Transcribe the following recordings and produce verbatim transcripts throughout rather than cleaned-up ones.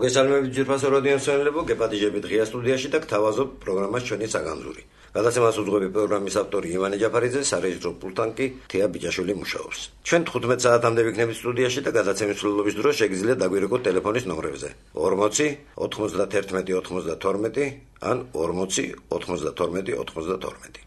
მოგესალმებით ძვირფასო რადიო მსმენელებო, გეპატიჟებით ღია სტუდიაში და გთავაზობ პროგრამას ჩვენი საგანძური. გადაცემას უძღვები პროგრამის ავტორი ივანე ჯაფარიძე, სარეჟისორო პულტთან კი თეა ბიჭაშვილი მუშაობს. ჩვენ თხუთმეტ საათამდე ვიქნებით სტუდიაში და გადაცემის მსვლელობის დროს შეგიძლიათ დაგვირეკოთ ტელეფონის ნომრებზე ორმოცი ოთხმოცდათერთმეტი ოცმოცდათორმეტი ან ორმოცი ოთხმოცდათორმეტი ოცმოცდათორმეტი.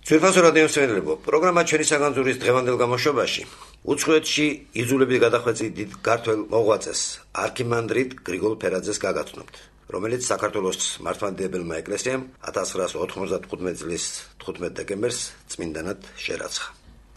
ძვირფასო რადიო მსმენელებო, პროგრამა ჩვენი საგანძურის დღევანდელ გამოშვებაში უცხოეთში იძულებით გადახვეწი დიდ ქართველ მოღვაწეს არქიმანდრიტ გრიგოლ ფერაძეს გაგაცნობთ, რომელიც საქართველოს მართლმადიდებელმა ეკლესიამ ათას ცხრაას ოთხმოცდათხუთმეტი წლის თხუთმეტ დეკემბერს წმინდანად შერაცხა.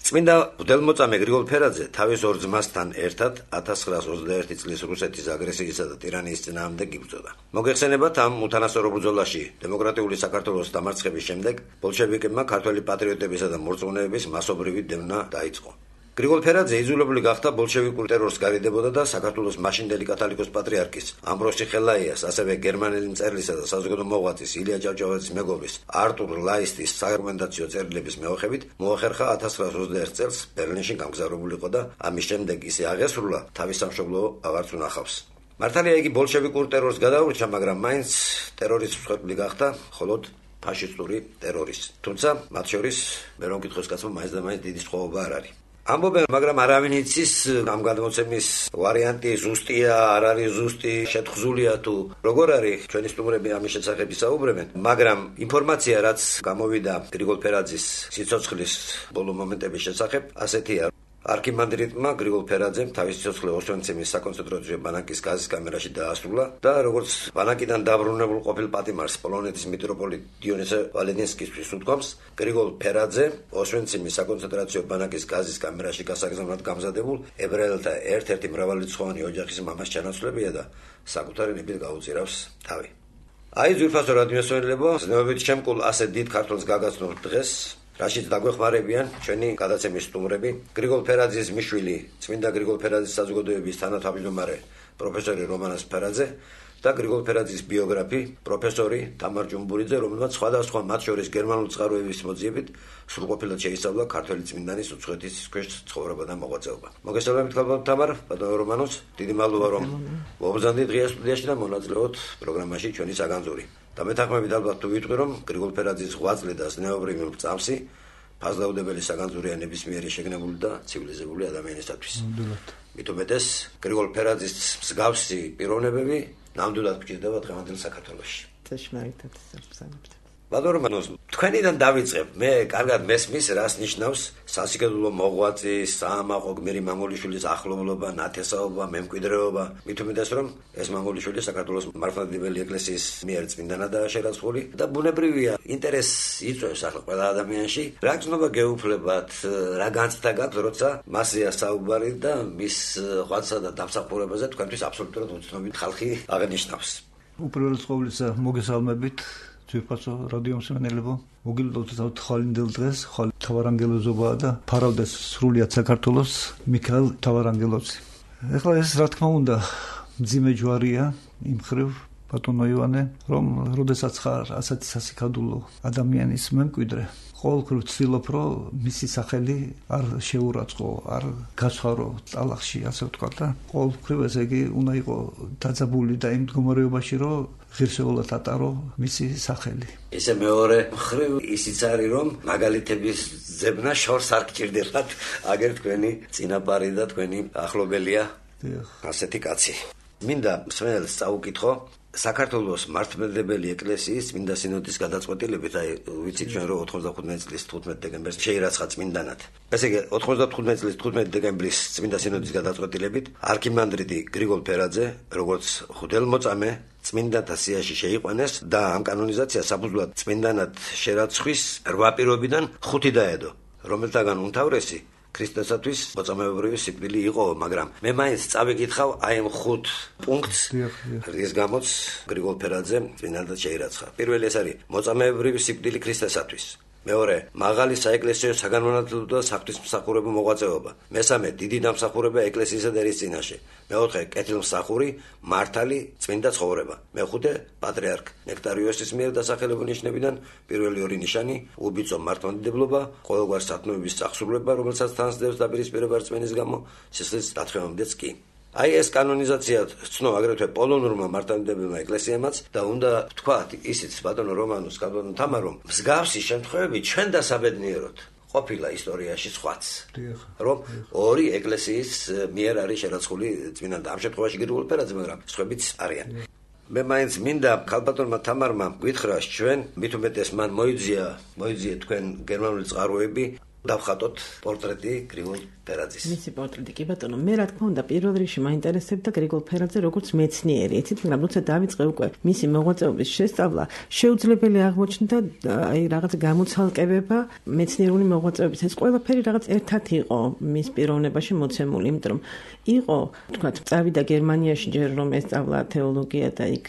წმინდა მღვდელმოწამე გრიგოლ ფერაძე თავის ორ ძმასთან ერთად ათას ცხრაას ოცდაერთი წლის რუსეთის აგრესიისა და ტირანიის წინააღმდეგ იბრძოდა. მოგეხსენებათ, ამ უთანასწორო ბრძოლაში დემოკრატიული საქართველოს დამარცხების შემდეგ ბოლშევიკებმა ქართველი პატრიოტებისა და მორწმუნეების მასობრივი დევნა დაიწყო. გრიგოლ ფერაძე იძულებული გახდა ბოლშევიკურ ტერორს გარიდებოდა და საქართველოს მაშინდელი კათოლიკოს პატრიარქის ამბროსი ხელაიას, ასევე გერმანელი მწერლისა და საზოგადო მოღვაწის ილია ჭავჭავაძის მეგობრის არტურ ლაისტის საარგუმენტაციო წერილების მეოხებით მოახერხა ათას ცხრაას ოცდაერთ წელს ბერლინში გამგზავრებულიყო და ამის შემდეგ ისე აღესრულა თავის სამშობლო აღარც უნახავს. მართალია იგი ბოლშევიკურ ტერორს გადაურჩა, მაგრამ მაინც ტერორის მსხვერპლი გახდა მხოლოდ ფაშისტური ტერორის. თუმცა მათ შორის მე რომ კითხოს კაცმა მაინც და მაინც დიდი სხვაობა არ არის. ამბობენ, მაგრამ არავინ იცის ამ გადმოცემის ვარიანტი ზუსტია, არ არის ზუსტი, შეთხზულია თუ როგორ არის, ჩვენი სტუმრები ამის შესახებ ისაუბრებენ, მაგრამ ინფორმაცია, რაც გამოვიდა გრიგოლ ფერაძის სიცოცხლის ბოლო მომენტების შესახებ, ასეთია. არქიმანდრიტმა გრიგოლ ფერაძემ თავის სიცოცხლე ოსვენციმის საკონცენტრაციო ბანაკის გაზის კამერაში დაასრულა და როგორც ბანაკიდან დაბრუნებულ ყოფილ პატიმარს პოლონეთის მიტროპოლიტ დიონისე ვალენსკისთვის უთქვამს, გრიგოლ ფერაძე ოსვენციმის საკონცენტრაციო ბანაკის გაზის კამერაში გასაგზავნად გამზადებულ ებრაელთა ერთ-ერთი მრავალრიცხოვანი ოჯახის მამას ჩანაცვლებია და საკუთარი ნებით გაუწირავს თავი. აი, ძვირფასო რადიო მსმენელებო, ზნეობებით შემკულ ასეთ დიდ ქართველს გაგაცნობთ დღეს, რაშიც დაგვეხმარებიან ჩვენი გადაცემის სტუმრები, გრიგოლ ფერაძის მიშვილი, წმინდა გრიგოლ ფერაძის საზოგადოების თანათავმჯდომარე პროფესორი რომანას ფერაძე და გრიგოლ ფერაძის ბიოგრაფი, პროფესორი თამარ ჯუმბურიძე, რომელმაც სხვადასხვა მათ შორის გერმანული წყაროების მოძიებით სრულყოფილად შეისწავლა ქართველი წმინდანის უცხოეთის ქვეშ ცხოვრება და მოღვაწეობა. მოგესალმებით თამარ, ბატონო რომანოს, დიდი მადლობა რომ მოგზავნით ღია სტუდიაში და მონაწილეობთ პროგრამაში ჩვენი საგანძური. და მეთანხმებით ალბათ თუ ვიტყვი, რომ გრიგოლ ფერაძის ღვაწლი და ზნეობრივი მრწამსი ფასდაუდებელი საგანძურია ნებისმიერი შეგნებული და ცივილიზებული ადამიანისათვის. მით უმეტეს გრიგოლ ფერაძის მსგავსი პიროვნებები ნამდვილად გვჭირდება დღევანდელ საქართველოში. წაშმარიტად საბრძანებთ. ბატონო რომანოს, თქვენიდან დავიწყებ. მე კარგად მესმის, რას ნიშნავს სასიკადულო მოღვაწის, საამაყო გმირი მამულიშვილის ახლობლობა, ნათესაობა, მემკვიდრეობა. მით უმეტეს, რომ ეს მამულიშვილი საქართველოს მართლმადიდებელი ეკლესიის მიერ წმინდანადაა შერაცხული და ბუნებრივია ინტერესს იწვევს ახლა ყველა ადამიანში. რა გზნობა გეუფლებათ, რა განცდა გაქვთ, როცა მასია საუბარი და მის ღვაწლსა და დამსახურებაზე თქვენთვის აბსოლუტურად უცნობი ხალხი აღნიშნავს. უპირველეს ყოვლისა მოგესალმებით. ძვირფასო რადიო მსმენელებო, მოგილოცოთ თვალინდელ დღეს, ხვალ თავარანგელოზობაა და ფარავდეს სრულიად საქართველოს მიქაელ თავარანგელოზი. ეხლა ეს რა თქმა უნდა მძიმე ჯვარია იმ მხრივ, ბატონო ივანე, რომ როდესაც ხარ ასეთი სასიკადულო ადამიანის მემკვიდრე, ყოველგვარ ვცდილობ, რომ მისი სახელი არ შეურაცხყო, არ გასვარო ტალახში, ასე ვთქვა და ყოველგვარ ესე იგი უნდა იყო დაძაბული და იმ მდგომარეობაში, რომ ღირსეულად ატარო მისი სახელი. ესე მეორე მხრივ ისიც არის, რომ მაგალითების ძებნა შორს არ გჭირდებათ, აგერ თქვენი წინაპარი და თქვენი ახლობელია ასეთი კაცი. მინდა მსმენელს წაუკითხო საქართველოს მართლმადიდებელი ეკლესიის წმინდა სინოდის გადაწყვეტილებით, აი ვიცით ჩვენ რომ ოთხმოცდათხუთმეტი წლის თხუთმეტ დეკემბერს შეირაცხა წმინდანად. ესე იგი ოთხმოცდათხუთმეტი წლის თხუთმეტ დეკემბრის წმინდა სინოდის გადაწყვეტილებით არქიმანდრიტი გრიგოლ ფერაძე, როგორც მღვდელმოწამე წმინდანთა სიაში შეიყვანეს და ამ კანონიზაციას საფუძვლად წმინდანად შერაცხვის რვა პირობიდან ხუთი დაედო, რომელთაგან უმთავრესი ქრისტესათვის მოწამეობრივი სიკვდილი იყო, მაგრამ მე მაინც წავიკითხავ აი ამ ხუთ პუნქტს, რის გამოც გრიგოლ ფერაძე წმინდანად შეირაცხა. პირველი ეს არის მოწამეობრივი სიკვდილი ქრისტესათვის. მეორე, მაღალი საეკლესიო საგანმანათლებლო და საღვთისმსახურებო მოღვაწეობა. მესამე, დიდი დამსახურება ეკლესიისა და ერის წინაშე. მეოთხე, კეთილმსახური, მართალი, წმინდა ცხოვრება. მეხუთე, პატრიარქ ნექტარიოსის მიერ დასახელებულ ნიშნებიდან პირველი ორი ნიშანი, უბიწო მართლმადიდებლობა, ყოველგვარ სათნოების წახსრულება, რომელსაც თან სდევს დაპირისპირება რწმენის გამო, სისხლის დათხოვამდეც კი. აი ეს კანონიზაცია ცნო აგრეთვე პოლონურმა მართლმადიდებელმა ეკლესიამაც და უნდა ვთქვათ ისიც ბატონო რომანოს კაბანო თამარომ მსგავსი შემთხვევები ჩვენ დასაბედნიეროთ ყოფილა ისტორიაში სხვაც რომ ორი ეკლესიის მიერ არის შერაცხული წმინდა ამ შემთხვევაში გრიგოლ ფერაძე მაგრამ სხვებიც არიან მე მაინც მინდა ქალბატონმა თამარმა გითხრას ჩვენ მით უმეტეს მან მოიძია მოიძიეთ თქვენ გერმანული წყაროები დავხატოთ პორტრეტი გრიგოლ ფერაძის. მისი პორტრეტი კი ბატონო, მე რა თქმა უნდა პირველ რიგში მაინტერესებდა გრიგოლ ფერაძე როგორც მეცნიერი. იცით, მაგრამ როცა დავიწყე უკვე მისი მოღვაწეობის შესწავლა, შეუძლებელი აღმოჩნდა აი რაღაც გამოცალკებება მეცნიერული მოღვაწეობის. ეს ყველაფერი რაღაც ერთად იყო მის პიროვნებაში მოცემული, იმიტომ რომ იყო, თქვათ, წავიდა გერმანიაში ჯერ რომ ესწავლა თეოლოგია და იქ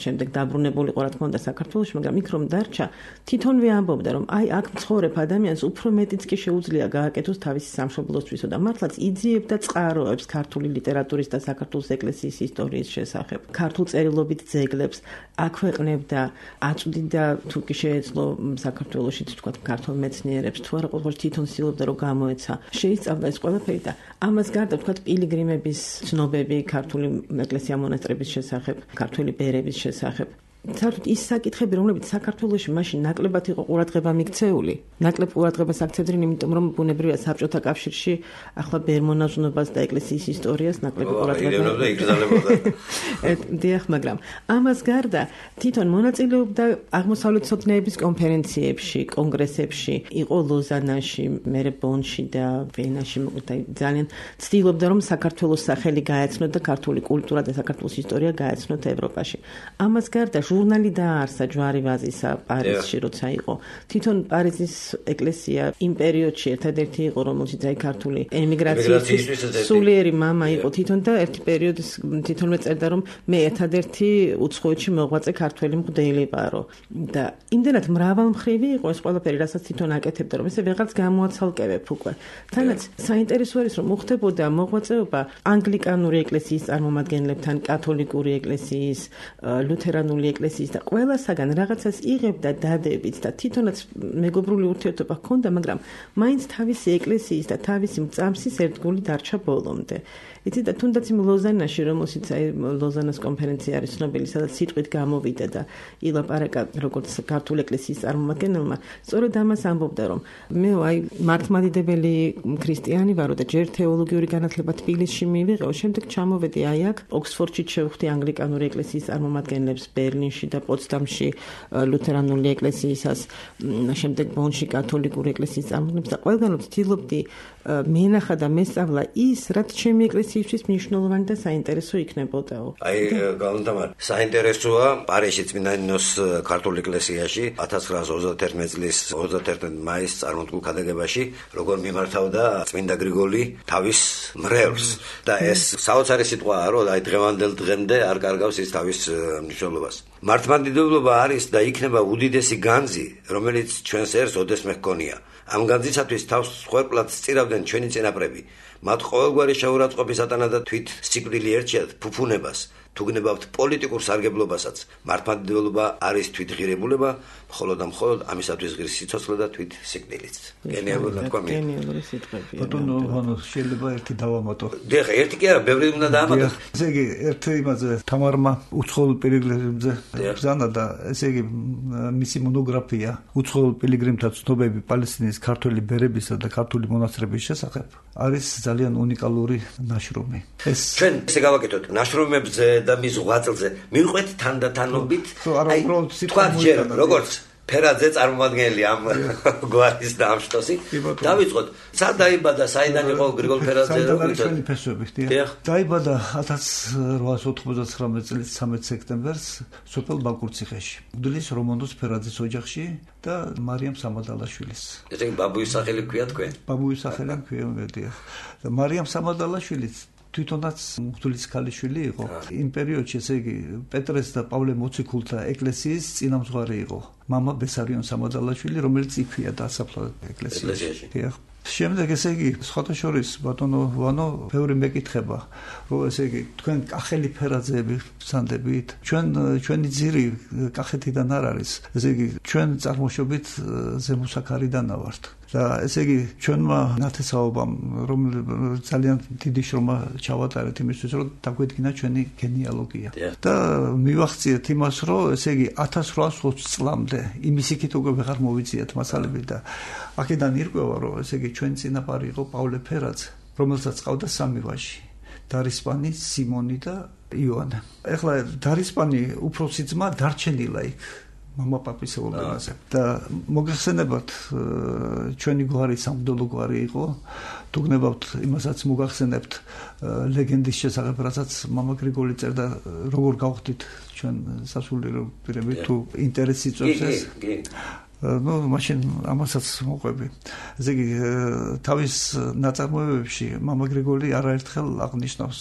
შემდეგ დაბრუნებული იყო რა თქმა უნდა საქართველოში, მაგრამ იქ რომ დარჩა, თვითონვე ამბობდა რომ აი აქ მცხოვრებ ადამიანს უფრო მეტიც კი შეუძლია გააკეთოს თავისი სამშობლოსთვისო და მართლაც იძიებდა წყაროებს ქართული ლიტერატურის და საქართველოს ეკლესიის ისტორიის შესახებ. ქართულ წერილობით ძეგლებს აქვეყნებდა, აწვდიდა თუ კი შეეძლო საქართველოშიც თქვათ ქართულ მეცნიერებს თუ არა ყოველ თვითონ ცდილობდა რომ გამოეცა. შეისწავლა ეს ყველაფერი და ამას გარდა თქვათ პილიგრიმების ცნობები ქართული ეკლესია მონასტრების შესახებ, ქართული ბერების შესახებ. საერთოდ ის საკითხები, რომლებიც საქართველოში მაშინ ნაკლებად იყო ყურადღება მიქცეული, ნაკლებ ყურადღებას აქცევდნენ, იმიტომ რომ ბუნებრივია საბჭოთა კავშირში ახლა ბერმონაზვნობას და ეკლესიის ისტორიას ნაკლებ ყურადღება იგრძელებოდა. დიახ, მაგრამ ამას გარდა თვითონ მონაწილეობდა აღმოსავლეთ სოფნეების კონფერენციებში, კონგრესებში, იყო ლოზანაში, მერე ბონში და ვენაში, ძალიან ცდილობდა რომ საქართველოს სახელი გაეცნოთ და ქართული კულტურა და საქართველოს ისტორია გაეცნოთ ევროპაში. ამას გარდა ჟურნალი დაარსა ჯვარი ვაზისა პარიზში როცა იყო. თვითონ პარიზის ეკლესია იმ პერიოდში ერთადერთი იყო, რომელშიც აი ქართული ემიგრაციის სულიერი მამა იყო თვითონ და ერთი პერიოდის თვითონვე წერდა რომ მე ერთადერთი უცხოეთში მოღვაწე ქართველი მღვდელი ვარო და იმდენად მრავალმხრივი იყო ეს ყველაფერი, რასაც თვითონ აკეთებდა, რომ ესე ვეღარც გამოაცალკევებ უკვე. თანაც საინტერესო არის რომ მოხდებოდა მოღვაწეობა ანგლიკანური ეკლესიის წარმომადგენლებთან, კათოლიკური ეკლესიის, ლუთერანული ეკლესიის და ყველასაგან რაღაცას იღებდა დადებით და თვითონაც მეგობრული ურთიერთობა ჰქონდა, მაგრამ მაინც თავისი ეკლესიის და თავისი მწამსის ერთგული დარჩა ბოლომდე. იცით და თუნდაც იმ ლოზანაში, რომელშიც აი ლოზანას კონფერენცია არის ცნობილი, სადაც სიტყვით გამოვიდა და ილაპარაკა როგორც ქართული ეკლესიის წარმომადგენელმა, სწორედ ამას ამბობდა, რომ მე აი მართლმადიდებელი ქრისტიანი ვარო და ჯერ თეოლოგიური განათლება თბილისში მივიღო, შემდეგ ჩამოვედი აი აქ ოქსფორდში შევხვდი ანგლიკანური ეკლესიის წარმომადგენლებს ბერლინში და პოცდამში ლუთერანული ეკლესიისას, შემდეგ ბონში კათოლიკური ეკლესიის წარმომადგენლებს და ყველგან ვცდილობდი მენახა და მესწავლა ის, რაც ჩემი ეკლესიისთვის მნიშვნელოვანი და საინტერესო იქნებოდაო. აი, გალანტამარ, საინტერესოა პარიზში წმინდა ნინოს ქართულ ეკლესიაში ათას ცხრაას ოცდაათერთმეტი წლის ოცდაათერთი მაისს წარმოდგენილ ქადაგებაში, როგორ მიმართავდა წმინდა გრიგოლი თავის მრევლს და ეს საოცარი სიტყვაა, რომ აი დღევანდელ დღემდე არ კარგავს ის თავის მნიშვნელობას. მართლმადიდებლობა არის და იქნება უდიდესი განძი, რომელიც ჩვენს ერს ოდესმე ჰქონია. ამ განძისათვის თავს ხوارკლად სწირავდნენ ჩვენი წინაპრები. მათ ყოველგვარი შეურაცხყოფის ატანა და თვით სიკვდილი ერჩიათ ფუფუნებას, თუ გნებავთ პოლიტიკურ სარგებლობასაც. მართლმადიდებლობა არის თვითღირებულება, მხოლოდ და მხოლოდ ამისათვის ღირს სიცოცხლე და თვით სიკვდილიც. გენიალური თქვა. გენიალური სიტყვებია. ბატონო, ანუ შეიძლება ერთი დავამატო. დიახ, ერთი კი არა, ბევრი უნდა დაამატო. ესე იგი, ერთი იმაზე თამარმა უცხოელ პილიგრიმებზე ბრძანა და ესე იგი მისი მონოგრაფია უცხოელ პილიგრიმთა ცნობები პალესტინის ქართველი ბერებისა და ქართული მონასტრების შესახებ არის ძალიან უნიკალური ნაშრომი. ეს ჩვენ ესე გავაკეთოთ ნაშრომებზე და მის ღვაწლზე მივყვეთ თანდათანობით. აი, თქვა ჯერ როგორც ფერაძე წარმომადგენელი ამ გვარის და ამ შტოსი. დავიწყოთ, სად დაიბადა, საიდან იყო გრიგოლ ფერაძე? საიდან ფესვები, დიახ. დაიბადა ათას რვაას ოთხმოცდათვრამეტი წლის ცამეტი სექტემბერს სოფელ ბაკურციხეში. მღვდლის რომანოს ფერაძის ოჯახში და მარიამ სამადალაშვილის. ესე იგი ბაბუის სახელი ქვია თქვენ? ბაბუის სახელი ქვია, დიახ. და მარიამ სამადალაშვილის თვითონაც მღვდლის ქალიშვილი იყო. იმ პერიოდში, ესე იგი, პეტრეს და პავლე მოციქულთა ეკლესიის წინამძღვარი იყო. მამა ბესარიონ სამოდალაშვილი, რომელიც იქვეა დასაფლავად ეკლესიაში. დიახ. შემდეგ ესე იგი სხვათა შორის ბატონო ვანო ბევრი მეკითხება რომ ესე იგი თქვენ კახელი ფერაძეები ბრძანდებით ჩვენ ჩვენი ძირი კახეთიდან არ არის ესე იგი ჩვენ წარმოშობით ზემოსაქარიდანა ვართ და ესე იგი ჩვენმა ნათესაობამ რომ ძალიან დიდი შრომა ჩავატარეთ იმისთვის რომ დაგვედგინა ჩვენი გენეალოგია და მივახციეთ იმას რომ ესე იგი ათას რვაას ოცი წლამდე იმის იქით უკვე ვეღარ მოვიძიათ მასალები და აქედან ირკვევა რომ ესე იგი ჩვენი წინაპარი იყო პავლე ფერაძე რომელსაც ყავდა სამი ვაჟი დარისპანი სიმონი და იონა ეხლა დარისპანი უფროსი ძმა დარჩენილა იქ მამა პაპის ეულენაზე და მოგახსენებათ ჩვენი გვარი სამღვდელო გვარი იყო დუგნებავთ იმასაც მოგახსენებთ ლეგენდის შესახებ რასაც მამა გრიგოლი წერდა როგორ გავხდით ჩვენ სასულიერო პირები თუ ინტერესი წევს ეს ну მაშინ ამასაც მოყვები ესე იგი თავის ნაწარმოებებში მამა გრიგოლი არაერთხელ აღნიშნავს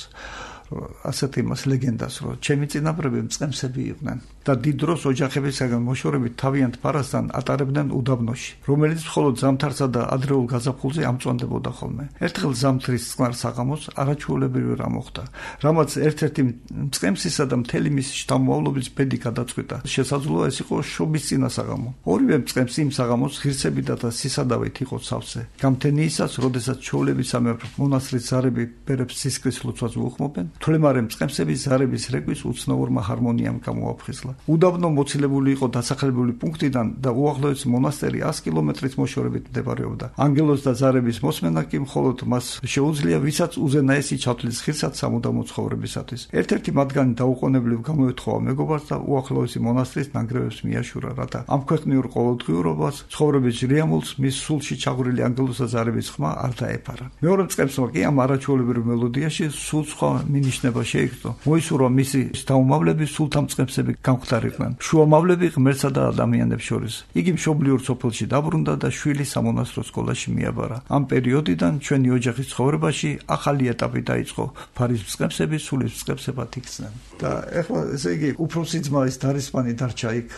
ასეთ იმას ლეგენდას რომ ჩემი წინაპრები მწყემსები იყვნენ და დიდ დროს ოჯახებისაგან მოშორებით თავიანთ ფარასთან ატარებდნენ უდაბნოში რომელიც მხოლოდ ზამთარსა და ადრეულ გაზაფხულზე ამწვანდებოდა ხოლმე ერთხელ ზამთრის წყნარ საღამოს არაჩვეულებრივი რამ მოხდა რამაც ერთ-ერთი მწყემსისა და მთელი მისი შთამომავლობის ბედი გადაწყვიტა შესაძლოა ეს იყო შობის წინა საღამო ორივე მწყემსი იმ საღამოს ღირსებითა და სისადავით იყო სავსე გამთენიისას როდესაც ჩვეულებისამებრ მონასტრის ზარები ბერებს სისხლის ლოცვას უხმობენ თვლემარე მწყემსების ზარების რეგვის უცნაურმა ჰარმონიამ გამოაფხიზლა უდაბნო მოცილებული იყო დასახლებული პუნქტიდან და უახლოესი მონასტერი ას კილომეტრით მოშორებით მდებარეობდა ანგელოს და ზარების მოსმენა კი მხოლოდ მას შეუძლია ვისაც უზენაესი ჩათვლის ხირსაც სამუდამო ცხოვრებისათვის ერთ-ერთი მათგანი დაუყოვნებლივ გამოეთხოვა მეგობარს და უახლოესი მონასტრის ნანგრევებს მიაშურა რათა ამ ქვეყნიურ ყოველდღიურობას ცხოვრების რიამულს მის სულში ჩაღვრილი ანგელოს და ზარების ხმა არ დაეფარა მეორე მწყემსმა კი ამ არაჩვეულებრივ მელოდიაში სულ სხვა მინიშნება შეიგრძნო მოისურვა მისი შთამომავლები სულთან მწყემსები გამختარიყვნენ შუამავლები ღმერთსა და ადამიანებს შორის იგი მშობლიურ სოფელში დაბრუნდა და შვილი სამონასტრო სკოლაში მიაბარა ამ პერიოდიდან ჩვენი ოჯახის ცხოვრებაში ახალი ეტაპი დაიწყო ფარის მწყემსები სულის მწყემსებად იქცნენ და ეხლა ესე იგი უფროსი ძმა ის დარისპანი დარჩა იქ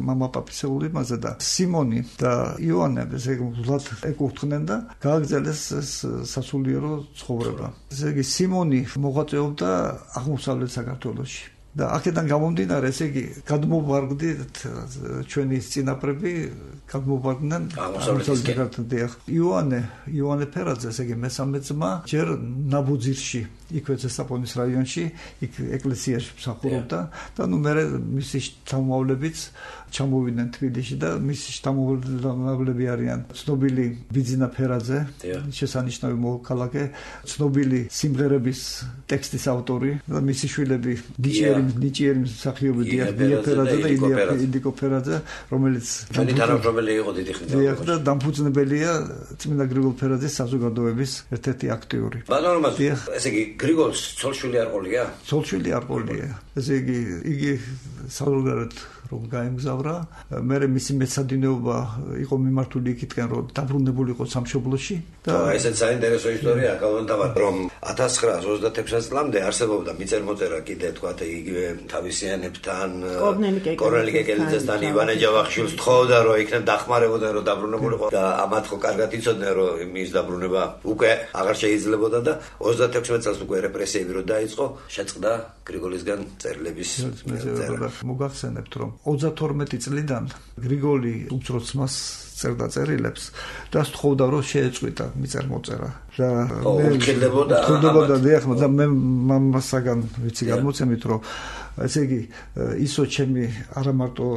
მამა პაპის ეულენაზე და სიმონი და იონა ესე იგი ვლად ეკუთვნიან და გააგრძელეს სასულიერო ცხოვრება ესე იგი სიმონი მოღვაწეობდა აღმოსავლეთ საქართველოში და აქედან გამომდინარე ესე იგი გადმოვარგდით ჩვენი წინაპრები გადმოვარდნენ აღმოსავლეთ საქართველოს იონე იონე ფერაძე ესე იგი მესამე ძმა ჯერ ნაბუძირში იქვე ზესტაფონის რაიონში იქ ეკლესიაში მსახურობდა და ნუ მე მისი შთამომავლებიც ჩამოვიდნენ თბილისში და მისი შთამომავლები არიან ცნობილი ბიძინა ფერაძე შესანიშნავი მოქალაქე ცნობილი სიმღერების ტექსტის ავტორი და მისი შვილები ნიჭიერი ნიჭიერი მსახიობი დია ფერაძე და ილიკო ფერაძე რომელიც თანამშრომელი იყო დიდი ხნით და დამფუძნებელია წმინდა გრიგოლ ფერაძის საზოგადოების ერთ-ერთი აქტიური ბატონო ესე იგი გრიგოლს ცოლშვილი არ ყოლია ცოლშვილი არ ყოლია ესე იგი იგი საზოგადოებრივ რომ გაემგზავრა მე მისი მეცადინეობა იყო მიმართული იქითკენ რომ დაბრუნებული იყო სამშობლოში და ესეც საინტერესო ისტორია კალონტავა რომ ათას ცხრაას ოცდაექვსი წლამდე არსებობდა მიწელმოწერა კიდე თქვათ იგივე თავისიანებთან კორნელი კეკელიძესთან ივანე ჯავახიშვილს თხოვდა რომ იქნებ დახმარებოდა რომ დაბრუნებულიყო და ამათ ხო კარგად იცოდნენ რომ მის დაბრუნება უკვე აღარ შეიძლებოდა და ოცდაექვსი წელს უკვე რეპრესიები რო დაიწყო შეწყდა გრიგოლისგან წერილების წერა მოგახსენებთ რომ ოცდათორმეტი წლიდან გრიგოლი უცროს მას წერდა წერილებს და სთხოვდა რომ შეეწყვიტა მიწელმოწერა და მე ვქილდებოდა ვქილდებოდა დიახ და მე მამასაგან ვიცი გამოცემით რომ ესე იგი ისო ჩემი არა მარტო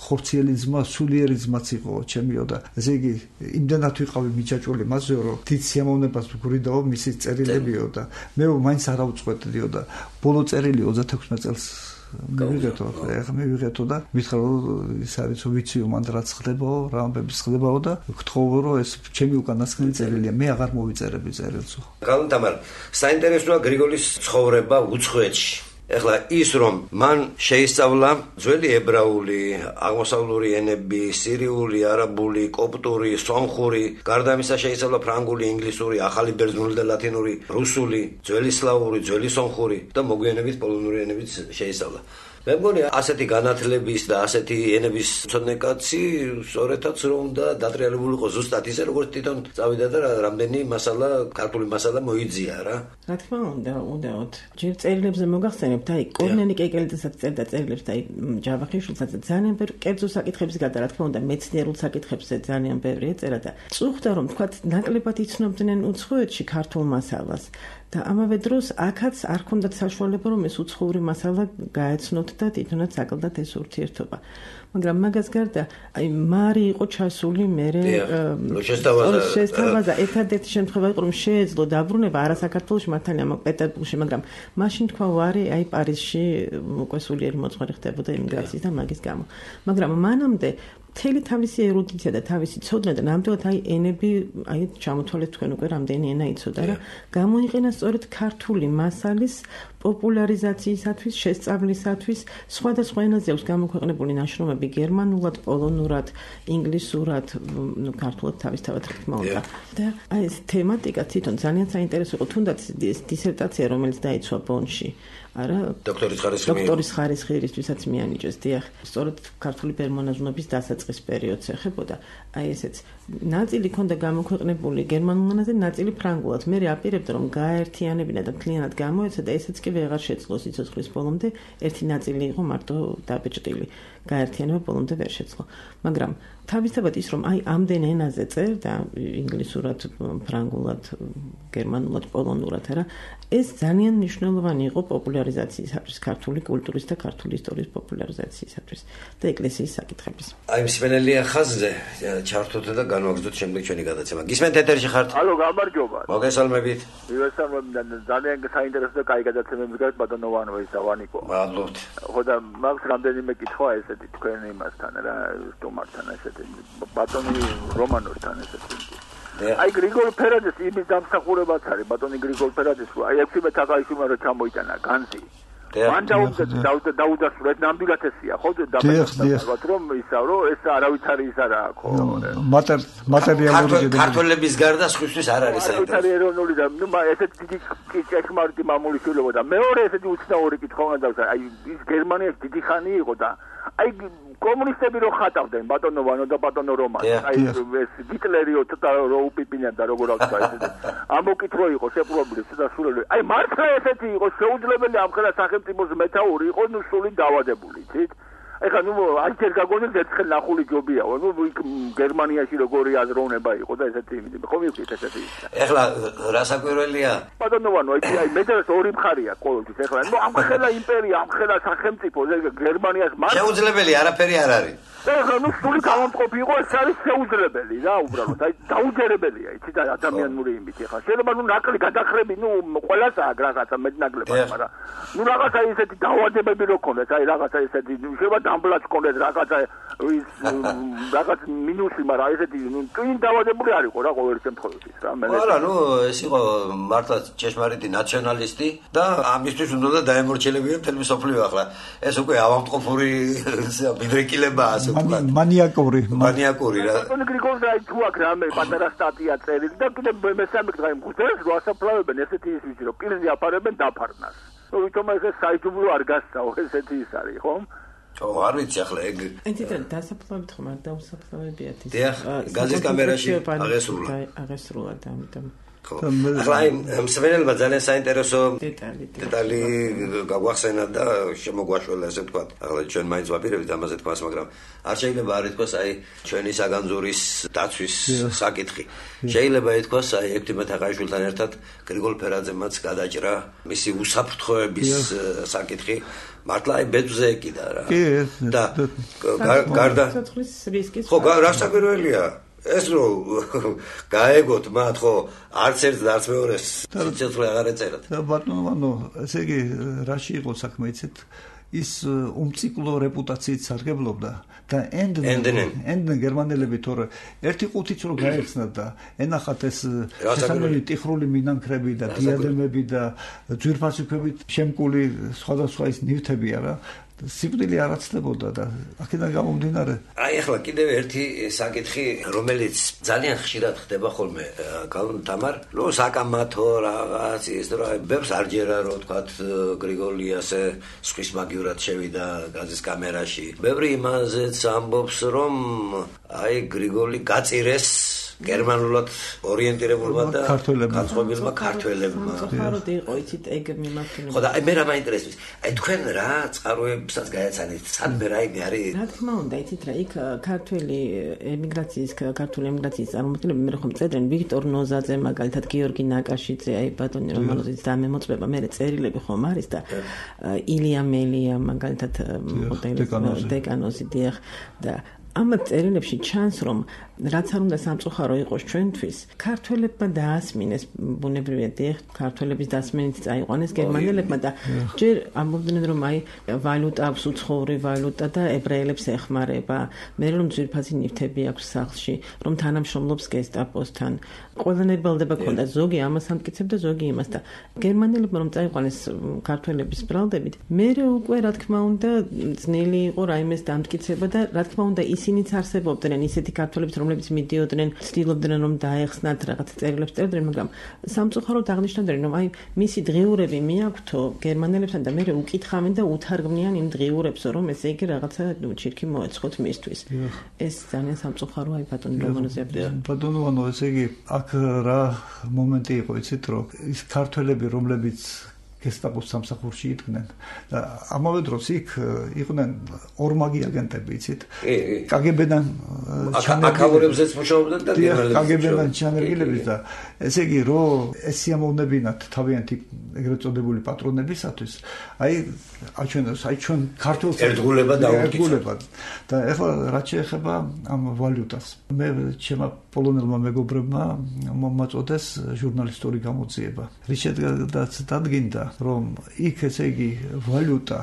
ხორციელი ძმა სულიერი ძმაც იყო ჩემიო და ესე იგი იმდენად ვიყავი მიჯაჭვული მასზე რომ დიდ სიამოვნებას ვგვრიდაო მისი წერილებიო და მე მაინც არ ავწყვეტდიო და ბოლო წერილი ოცდაექვსი წელს მივიღეთო ახლა მივიღეთო და მითხრა რომ ის არის ვიციო მანდ რაც ხდებაო რა ამბები ხდებაო და გთხოვო რომ ეს ჩემი უკანასკნელი წერილია მე აღარ მოვიწერები წერილს კალონტამარ საინტერესოა გრიგოლის ცხოვრება უცხოეთში ეხლა ის რომ მან შეისწავლა ძველი ებრაული, აღმოსავლური ენები, სირიული, არაბული, კოპტური, სომხური, გარდა ამისა შეისწავლა ფრანგული, ინგლისური, ახალი ბერძნული და ლათინური, რუსული, ძველი სლავური, ძველი სომხური და მოგვიანებით პოლონური ენებიც შეისწავლა. მე მგონი ასეთი განათლების და ასეთი ენების მცოდნე კაცი სწორედაც რომ უნდა დატრიალებულიყო ზუსტად ისე როგორც თვითონ წავიდა და რამდენი მასალა ქართული მასალა მოიძია რა. რა თქმა უნდა, უნდაოდ. ჯერ წერილებზე მოგახსენებთ, აი კორნელი კეკელიძესაც წერდა წერილებს და აი ჯავახიშვილსაც ძალიან ბევრი კერძო საკითხების გარდა, რა თქმა უნდა, მეცნიერულ საკითხებზე ძალიან ბევრი ეწერა და წუხდა რომ თქვა ნაკლებად იცნობდნენ უცხოეთში ქართულ მასალას. და ამავე დროს აქაც არ ჰქონდათ საშუალება რომ ეს უცხოური მასალა გაეცნოთ და თვითონაც აკლდათ ეს ურთიერთობა. მაგრამ მაგას გარდა აი მარი იყო ჩასული მერე შესთავაზა ერთადერთი შემთხვევა იყო რომ შეეძლო დაბრუნება არა საქართველოში მართალია მაგ პეტერბურგში მაგრამ მაშინ თქვა ვარი აი პარიზში უკვე სულიერი მოწყვლი ხდებოდა იმიგრაციის და მაგის გამო. მაგრამ მანამდე მთელი თავისი ერუდიცია და თავისი ცოდნა და ნამდვილად აი ენები აი ჩამოთვალეთ თქვენ უკვე რამდენი ენა იცოდა რა გამოიყენა სწორედ ქართული მასალის პოპულარიზაციისათვის, შესწავლისათვის სხვადასხვა ენაზე აქვს გამოქვეყნებული ნაშრომები გერმანულად, პოლონურად, ინგლისურად, ნუ ქართულად თავისთავად რა თქმა უნდა. და აი ეს თემატიკა თვითონ ძალიან საინტერესო იყო, თუნდაც დისერტაცია რომელიც დაიცვა ბონში. არა დოქტორის ხარისხი დოქტორის ხარისხი რისთვისაც მიანიჭეს დიახ სწორედ ქართული პერმონაზვნობის დასაწყის პერიოდს ეხებოდა აი ესეც ნაწილი ქონდა გამოქვეყნებული გერმანულ ენაზე ნაწილი ფრანგულად მე აპირებდა რომ გაერთიანებინა და მთლიანად გამოეცა და ესეც კი ვეღარ შეძლო სიცოცხლის ბოლომდე ერთი ნაწილი იყო მარტო დაბეჭდილი გაერთიანება ბოლომდე ვერ შეძლო მაგრამ თავისთავად ის რომ აი ამდენ ენაზე წერდა ინგლისურად ფრანგულად გერმანულად პოლონურად არა ეს ძალიან მნიშვნელოვანი იყო პოპულარიზაციისათვის ქართული კულტურის და ქართული ისტორიის პოპულარიზაციისათვის და ეკლესიის საკითხების. აი მსმენელია ხაზზე ჩართოთ და განვაგრძოთ შემდეგ ჩვენი გადაცემა. გისმენთ ეთერში ხართ? ალო, გამარჯობა. მოგესალმებით. მივესალმებით და ძალიან საინტერესო და კაი გადაცემები გაქვს ბატონოვანო ეს დავანიკო. მადლობთ. ხო და მაგს რამდენიმე კითხვა ესეთი თქვენ იმასთან რა სტუმართან ესეთი ბატონი რომანოსთან ესეთი აი გრიგოლ ფერაძეს იმის დამსახურებაც არის ბატონი გრიგოლ ფერაძეს აი ექვთიმე თაყაიშვილმა რო ჩამოიტანა განძი მან დაუდა დაუდასტურეთ ნამდვილად ესია ხო და რომ ისა რომ ეს არავითარი ის არა ხო მატერიალური ქართველების გარდა სხვისთვის არ არის საინტერესო ეროვნული და ნუ ესეთ დიდი ჭეშმარიტი მამული შვილობა და მეორე ესეთი უცნაური კითხვა უნდა დავსა აი ის გერმანიაში დიდი ხანი იყო და აი კომუნისტები რო ხატავდნენ ბატონოვანო და ბატონო რომანი აი ეს გიტლერიო ცოტა რო უპიპინებდა და როგორ აქვს აი ეს ამოკითხვა იყო შეპრობლემი ცოტა სულელი აი მართლა ესეთი იყო შეუძლებელი ამხელა სახელმწიფოს მეთაური იყო ნუ სული დავადებული იცით ეხლა ნუ აი ჯერ გაგონებს ერთხელ ნახული ჯობიაო ნუ გერმანიაში როგორი აზროვნება იყო და ესეთი იმით ხო მივხვდით ესეთი ეხლა რა საკვირველია ბატონოვანო აი მეტად ორი მხარია ყოველთვის ეხლა ნუ ამხელა იმპერია ამხელა სახელმწიფო გერმანიას მართლა შეუძლებელი არაფერი არ არის ეხლა ნუ სული გამომყოფი იყო ეს არის შეუძლებელი რა უბრალოდ აი დაუჯერებელია იცით ადამიანური იმით ეხლა შეიძლება ნუ ნაკლი გადახრები ნუ ყველას აქვს რაღაცა მეტნაკლებად მაგრამ ნუ რაღაცა ისეთი დაავადებები რო ქონდეს აი რაღაცა ისეთი შეიძლება დამბლაც ქონდეს რაღაცა ის რაღაც მინუსი მაგრამ ესეთი ნუ წინ დაავადებული არ იყო რა ყოველ შემთხვევაში რა მე არა ნუ ეს იყო მართლა ჭეშმარიტი ნაციონალისტი და ამისთვის უნდა დაემორჩილებინა მთელი მსოფლიო ახლა ეს უკვე ავადმყოფური ბედრეკილებაა მანიაკური მანიაკური რა ბატონი გრიგოლ აი თუ აქ რამე პატარა სტატია წერილი და კიდე მესამე კითხვა იმხუთებს რო ასაფლავებენ ესეთი ის ვიცი რომ პირზე აფარებენ დაფარნას ნუ ვითომ ეს საიჯუბლო არ გასწავ ესეთი ის არის ხომ ო არ ვიცი ახლა ეგ ენტიდან დასაფლავებთ ხომ არ დაუსაფლავებიათ ის დიახ გაზის კამერაში აღესრულა აღესრულა და ამიტომ ახლა მსმენელმა ძალიან საინტერესო დეტალი გაგვახსენა და შემოგვაშველა ესე ვთქვათ ახლა ჩვენ მაინც ვაპირებთ ამაზე თქვას მაგრამ არ შეიძლება არ ითქვას აი ჩვენი საგანძურის დაცვის საკითხი შეიძლება ითქვას აი ექვთიმე თაყაიშვილთან ერთად გრიგოლ ფერაძემაც გადაჭრა მისი უსაფრთხოების საკითხი მართლა აი ბეძზე ეკიდა რა და გარდა ხო რა საკვირველია ეს რო გაეგოთ მათ ხო არც ერთ და არც მეორეს სიცოცხლე აღარ ეწერათ და ბატონო ესე იგი რაში იყო საქმე იცით ის უმციკლო რეპუტაციით სარგებლობდა და ენდენ გერმანელები თორე ერთი ყუთიც რო გაეხსნათ და ენახათ ეს შესაძლებელი ტიხრული მინანქრები და დიადემები და ძვირფასი ქვებით შემკული სხვადასხვა ის ნივთებია რა სიკვდილი არ აცდებოდა და აქედან გამომდინარე აი ახლა კიდევ ერთი საკითხი რომელიც ძალიან ხშირად ხდება ხოლმე თამარ ნუ საკამათო რაღაც ის რა ბევრს არ ჯერა რომ თქვა გრიგოლი ასე სხვის მაგივრად შევიდა გაზის კამერაში ბევრი იმაზეც ამბობს რომ აი გრიგოლი გაწირეს გერმანულად ორიენტირებულმა და განწყობილმა ქართველებმა. ხაროდ იყო იცით ეგ მიმართულებით. ხო და აი მე რა მაინტერესებს. აი თქვენ რა წყაროებსაც გაეცანით? სადმე რაიმე არის? რა თქმა უნდა, იცით რა იქ ქართველი ემიგრაციის ქართული ემიგრაციის წარმომადგენლები მე ხომ წერდნენ ვიქტორ ნოზაძე მაგალითად გიორგი ნაკაშიძე აი ბატონი რომანოზის დამემოწმება მე წერილები ხომ არის და ილია მელია მაგალითად დეკანოზი დიახ და ამ წერილებში ჩანს რომ რაც არ უნდა სამწუხარო იყოს ჩვენთვის ქართველებმა დაასმინეს ბუნებრივია დიახ ქართველების დასმენით წაიყვანეს გერმანელებმა და ჯერ ამბობდნენ რომ აი ვალუტა აქვს უცხოური ვალუტა და ებრაელებს ეხმარება მე რომ ძვირფასი ნივთები აქვს სახლში რომ თანამშრომლობს გესტაპოსთან ყველანაირ ბრალდება ქონდა ზოგი ამას ამტკიცებდა ზოგი იმას და გერმანელებმა რომ წაიყვანეს ქართველების ბრალდებით მე უკვე რა თქმა უნდა ძნელი იყო რაიმეს დამტკიცება და რა თქმა უნდა ისინიც არსებობდნენ ისეთი ქართველებიც რომლებიც მიდიოდნენ ცდილობდნენ რომ დაეხსნათ რაღაც წერილებს წერდნენ მაგრამ სამწუხაროდ აღნიშნავდნენ რომ აი მისი დღიურები მიაქვთო გერმანელებთან და მე უკითხავენ და უთარგმნიან იმ დღიურებს რომ ესე იგი რაღაცა ჩირქი მოეცხოთ მისთვის ეს ძალიან სამწუხარო აი ბატონი რომანოზია ბატონო ანუ ესე იგი აქ რა მომენტი იყო იცით რომ ის ქართველები რომლებიც გესტაპოს სამსახურში იდგნენ და ამავე დროს იქ იყვნენ ორმაგი აგენტები იცით კგბ-დან აკავრებზეც მუშაობდნენ და კგბ-დან ჩანერგილების და ესე იგი რომ ეს სიამოვნებინათ თავიანთი ეგრეთ წოდებული პატრონებისათვის აი აჩვენებს აი ჩვენ ქართულ ერთგულება დაუკითხა და ეხლა რაც შეეხება ამ ვალუტას მე ჩემმა პოლონელმა მეგობრებმა მომაწოდეს ჟურნალისტური გამოძიება რის შედეგადაც დადგინდა რომ იქ ესე იგი ვალუტა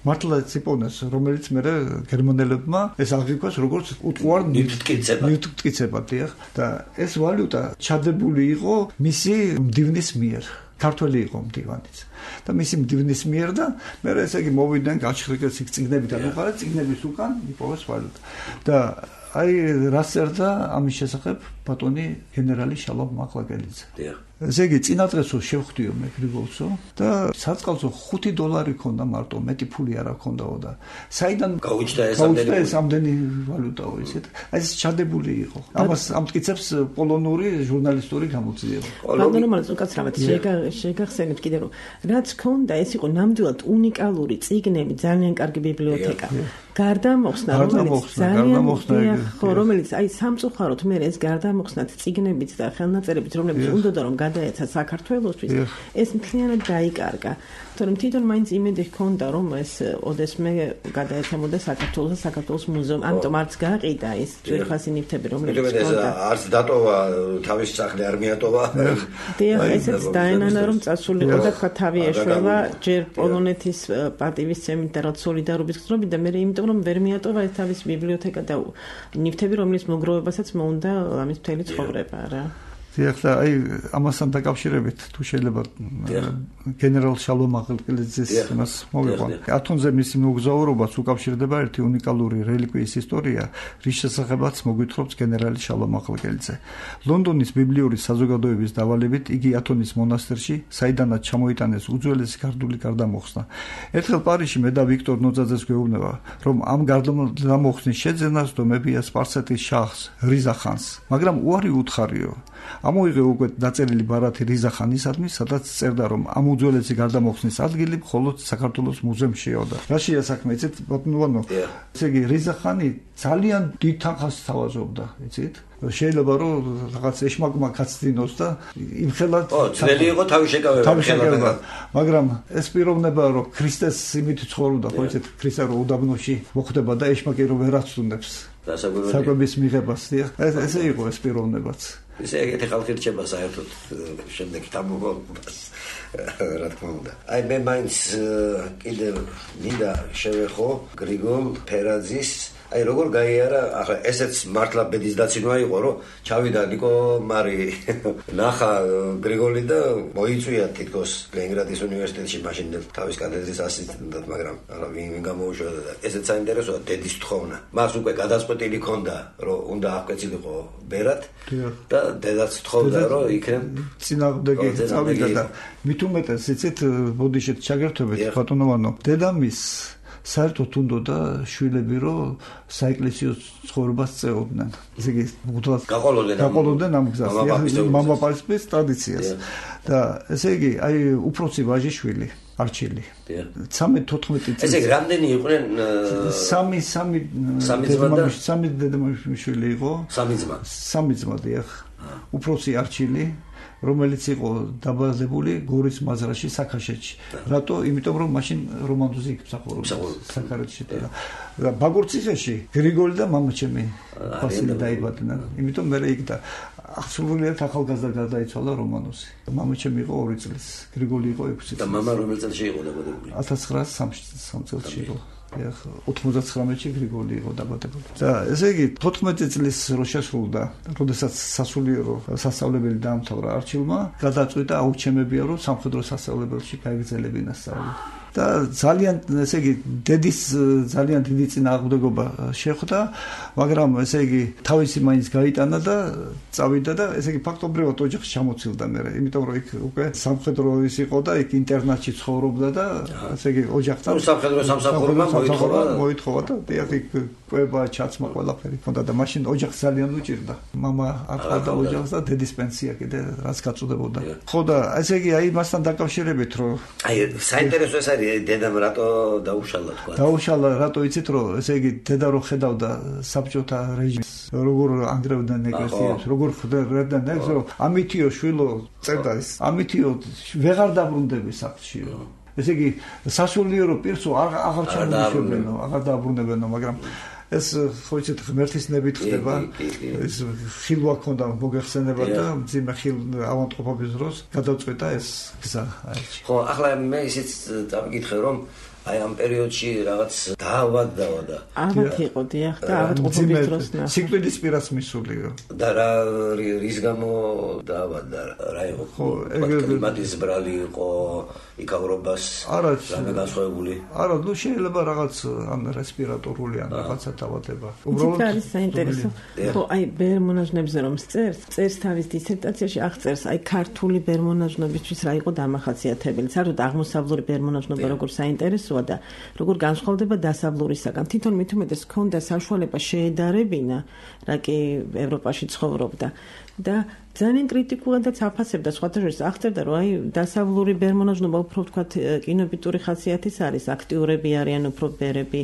მართლა ციპონეს რომელიც მე გერმანელებმა ეს აღიქვას როგორც უტყუარ ნივთმტკიცება დიახ და ეს ვალუტა ჩადებული იყო მისი მდივნის მიერ ქართველი იყო მდივანიც და მისი მდივნის მიერ და მე ესე იგი მოვიდნენ გაჩხრიკეს იქ წიგნებიდან უყარა წიგნების უკან იპოვეს ვალუტა და აი რა წერდა ამის შესახებ ბატონი გენერალი შალომ მაყლაკელიძე დიახ ესე იგი წინა დღესო შევხვდიო მე გრიგოლსო და საწყალსო ხუთი დოლარი ქონდა მარტო მეტი ფული არ აქონდაო და საიდან გაუჩნდა ეს ამდენი ვალუტაო ისეთ აი ეს ჩადებული იყო ამას ამტკიცებს პოლონური ჟურნალისტური გამოძიება ბატონო მაგრამ უკაცრავად შეგახსენებთ კიდე რომ რაც ქონდა ეს იყო ნამდვილად უნიკალური წიგნები ძალიან კარგი ბიბლიოთეკა გარდამოხსნა რომელიც ძალიან ხო რომელიც აი სამწუხაროდ მე ეს გარდამოხსნათ წიგნებიც და ხელნაწერებიც რომლებიც უნდა რომ გადაეცა საქართველოსთვის ეს მთლიანად დაიკარგა თორემ თვითონ მაინც იმედი ჰქონდა რომ ეს ოდესმე გადაეცემოდა საქართველოს და საქართველოს მუზეუმ ამიტომ არც გაყიდა ეს ძვირფასი ნივთები რომლებიც ჰქონდა არც დატოვა თავის სახლი არ მიატოვა დიახ ესეც დაენანა რომ წასულიყო და თქვა თავი ეშველა ჯერ პოლონეთის პარტიისცემით და რაც სოლიდარობის გზნობით და მე იმიტომ რომ ვერ მიატოვა ეს თავის ბიბლიოთეკა და ნივთები რომლის მოგროვებასაც მოუნდა ამის მთელი ცხოვრება რა დიახ და აი ამასთან დაკავშირებით თუ შეიძლება გენერალ შალომ მაყლაკელიძის იმას მოვიყვან ათონზე მისი მოგზაურობას უკავშირდება ერთი უნიკალური რელიკვიის ისტორია რის შესახებაც მოგვითხრობს გენერალი შალომ მაყლაკელიძე ლონდონის ბიბლიური საზოგადოების დავალებით იგი ათონის მონასტერში საიდანაც ჩამოიტანეს უძველესი ქართული გარდამოხსნა ერთხელ პარიზში მე და ვიქტორ ნოძაძეს გვეუბნება რომ ამ გარდამოხსნის შეძენას დომებია სპარსეთის შაჰს რიზა ხანს მაგრამ უარი უთხარიო ამოიღე უკვე დაწერილი ბარათი რიზა ხანისადმი სადაც წერდა რომ ამ უძველესი გარდამოხსნის ადგილი მხოლოდ საქართველოს მუზეუმშია და რა შეასაქმე იცით ბატონო ესე იგი რიზა ხანი ძალიან დიდ თანხას თავაზობდა იცით შეიძლება რომ რაღაც ეშმაკმა კაცდინოს და იმხელა ო ძველი იყო თავი შეკავება მაგრამ ეს პიროვნება რომ ქრისტეს იმით ცხოვრობდა ხო იცით ქრისტე რომ უდაბნოში მოხვდება და ეშმაკი რომ ვერ აცუნებს საკვების მიღებას. ესე იყო ეს პიროვნებაც. ესე ეგეთი ხალხი რჩება საერთოდ შემდეგ თამბობობას რა თქმა უნდა. აი მე მაინც კიდევ მინდა შევეხო გრიგოლ ფერაძის აი როგორ გაიარა ახლა ესეც მართლა ბედის დაცინვა იყო რომ ჩავიდა ნიკო მარი ნახა გრიგოლი და მოიწვია თითქოს ლენინგრადის უნივერსიტეტში მაშინ თავის კათედრის ასისტენტად მაგრამ ახლა ვინ ვინ გამოუშვა და ესეც საინტერესოა დედის თხოვნა მას უკვე გადაწყვეტილი ჰქონდა რომ უნდა აღკვეცილიყო ბერად და დედაც თხოვდა რომ იქნებ წინააღმდეგი წავიდა და მით უმეტეს იცით ბოდიშეთ ჩაგერთვებით ბატონოვანო დედამის საერთოდ უნდოდა შვილები რომ საეკლესიო ცხოვრებას წეოდნენ. ესე იგი მუდმივად გაყოლოდნენ ამ გზას, მამაპაპის ტრადიციას. და ესე იგი აი უფროსი ვაჟიშვილი არჩილი. ცამეტ თოთხმეტი წელი. ესე იგი რამდენი იყვნენ სამი სამი სამი დედამიშვილი იყო. სამი ძმა. სამი ძმა დიახ. უფროსი არჩილი რომელიც იყო დაბადებული გორის მაზრაში საქაშეთში. რატო? იმიტომ რომ მაშინ რომანტოზი იქ საქარეთში და ბაგურციხეში გრიგოლი და მამაჩემი ფასილი დაიბადნენ. იმიტომ მე იქ და ახსოვლიათ ახალგაზრდა გადაიცვალა რომანოზი. მამაჩემი იყო ორი წლის, გრიგოლი იყო ექვსი წლის. და მამა რომელ წელში იყო დაბადებული? ათას ცხრაასი წელში იყო. ეხ ოთხმოცდაცხრამეტში გრიგოლი იყო დაბადებული. და ესე იგი თოთხმეტი წლის რო შესრულდა, როდესაც სასულიერო სასწავლებელი დაამთავრა არჩილმა, გადაწყვიტა აუჩემებია რომ სამხედრო სასწავლებელში გაიგრძელებინა სწავლა. და ძალიან ესე იგი დედის ძალიან დიდი წინააღმდეგობა შეხვდა, მაგრამ ესე იგი თავისი მაინც გაიტანა და წავიდა და ესე იგი ფაქტობრივად ოჯახში ჩამოცილდა მე, იმიტომ რომ იქ უკვე სამხედრო ის იყო და იქ ინტერნატში ცხოვრობდა და ესე იგი ოჯახთან სამხედრო სამსახურმა მოითხოვა მოითხოვა და იქ კვება ჩაცმა ყველაფერი ჰქონდა და მაშინ ოჯახს ძალიან უჭირდა. მამა არ ყავდა ოჯახს და დედის პენსია კიდე რაც გაწუდებოდა. ხო და ესე იგი აი მასთან დაკავშირებით რომ აი საინტერესო ეს არის დედამ რატო დაუშალა თქვა. დაუშალა რატო იცით რომ ესე იგი დედა რო ხედავდა საბჭოთა რეჟიმს როგორ ანგრევდნენ ეკლესიას, როგორ ხვდებდნენ ეს რომ ამითიო შვილო წერდა ის ამითიო ვეღარ დაბრუნდები სახლში. ესე იგი სასულიერო პირსო აღარ ჩამოიშვებენო, აღარ დაბრუნებენო, მაგრამ ეს ხო იცით ღმერთის ნებით ხდება. ეს ხილვა ქონდა მოგეხსენება და მძიმე ხილ ავანტყოფობის დროს გადავწყვეტა ეს გზა აიჩი. ხო, ახლა მე ისიც წავიკითხე რომ აი ამ პერიოდში რაღაც დაავადდა და ალბათ იყო დიახ და ავადმყოფობის დროს ნახე. სიკვდილის პირას მისულიო. და რა რის გამო დაავადდა? რა იყო? ხო, კლიმატის ბრალი იყო, იქავრობას რამე განსხვავებული. არა, ნუ შეიძლება რაღაც ან რესპირატორული ან რაღაცა დაავადება. უბრალოდ არის საინტერესო. ხო, აი ბერმონაჟნებზე რომ წერს, წერს თავის დისერტაციაში აღწერს აი ქართული ბერმონაჟნობისთვის რა იყო დამახასიათებელი. საერთოდ აღმოსავლური ბერმონაჟნობა როგორ საინტერესოა და როგორ განსხვავდება დასავლურისაგან. თვითონ მით უმეტეს ჰქონდა საშუალება შეედარებინა, რა კი ევროპაში ცხოვრობდა და ძალიან კრიტიკულადაც აფასებდა სხვათა შორის აღწერდა რომ აი დასავლური ბერმონაჟნობა უფრო ვთქვათ კინოებიტური ხასიათის არის, აქტიურები არიან, უფრო ბერები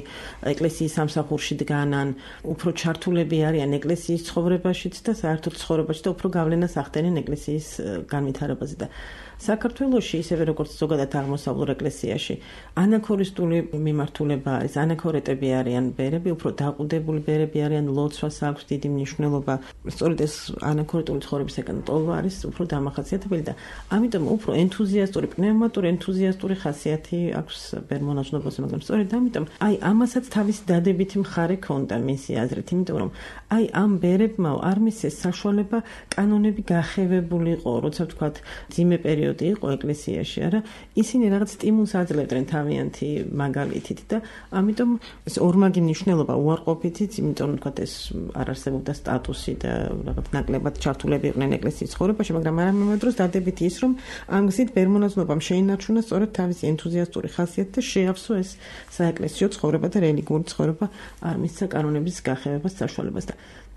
ეკლესიის სამსახურში დგანან, უფრო ჩართულები არიან ეკლესიის ცხოვრებაშიც და საერთოდ ცხოვრებაში და უფრო გავლენას ახდენენ ეკლესიის განვითარებაზე და საქართველოში ისევე როგორც ზოგადად აღმოსავლურ ეკლესიაში ანაქორისტული მიმართულება არის, ანაქორეტები არიან ბერები, უფრო დაყუდებული ბერები არიან, ლოცვას აქვს დიდი მნიშვნელობა. სწორედ ეს ანაქორეტული ცხოვრებისგან ტოლვა არის უფრო დამახასიათებელი და ამიტომ უფრო ენთუზიასტური, პნევმატური ენთუზიასტური ხასიათი აქვს ბერმონაჟნობაზე, მაგრამ სწორედ ამიტომ აი ამასაც თავისი დადებითი მხარე ჰქონდა მისი აზრით, იმიტომ რომ აი ამ ბერებმა არ მისცეს საშუალება კანონები გახევებულიყო, როცა ვთქვათ ძიმე პერიოდი იყო ეკლესიაში, არა, ისინი რაღაც სტიმულს აძლევდნენ თავიანთი მაგალითით და ამიტომ ეს ორმაგი მნიშვნელობა უარყოფითიც, იმიტომ რომ თქვათ ეს არ არსებობდა სტატუსი და რაღაც ნაკლებად ჩართულები იყვნენ ეკლესიის ცხოვრებაში, მაგრამ არამედ დროს დადებითი ის რომ ამ გზით ბერმონაჟნობამ შეინარჩუნა სწორედ თავისი ენთუზიასტური ხასიათი და შეავსო ეს საეკლესიო ცხოვრება და რელიგიური ცხოვრება არ მისცა კანონების გახევებას საშუალებას და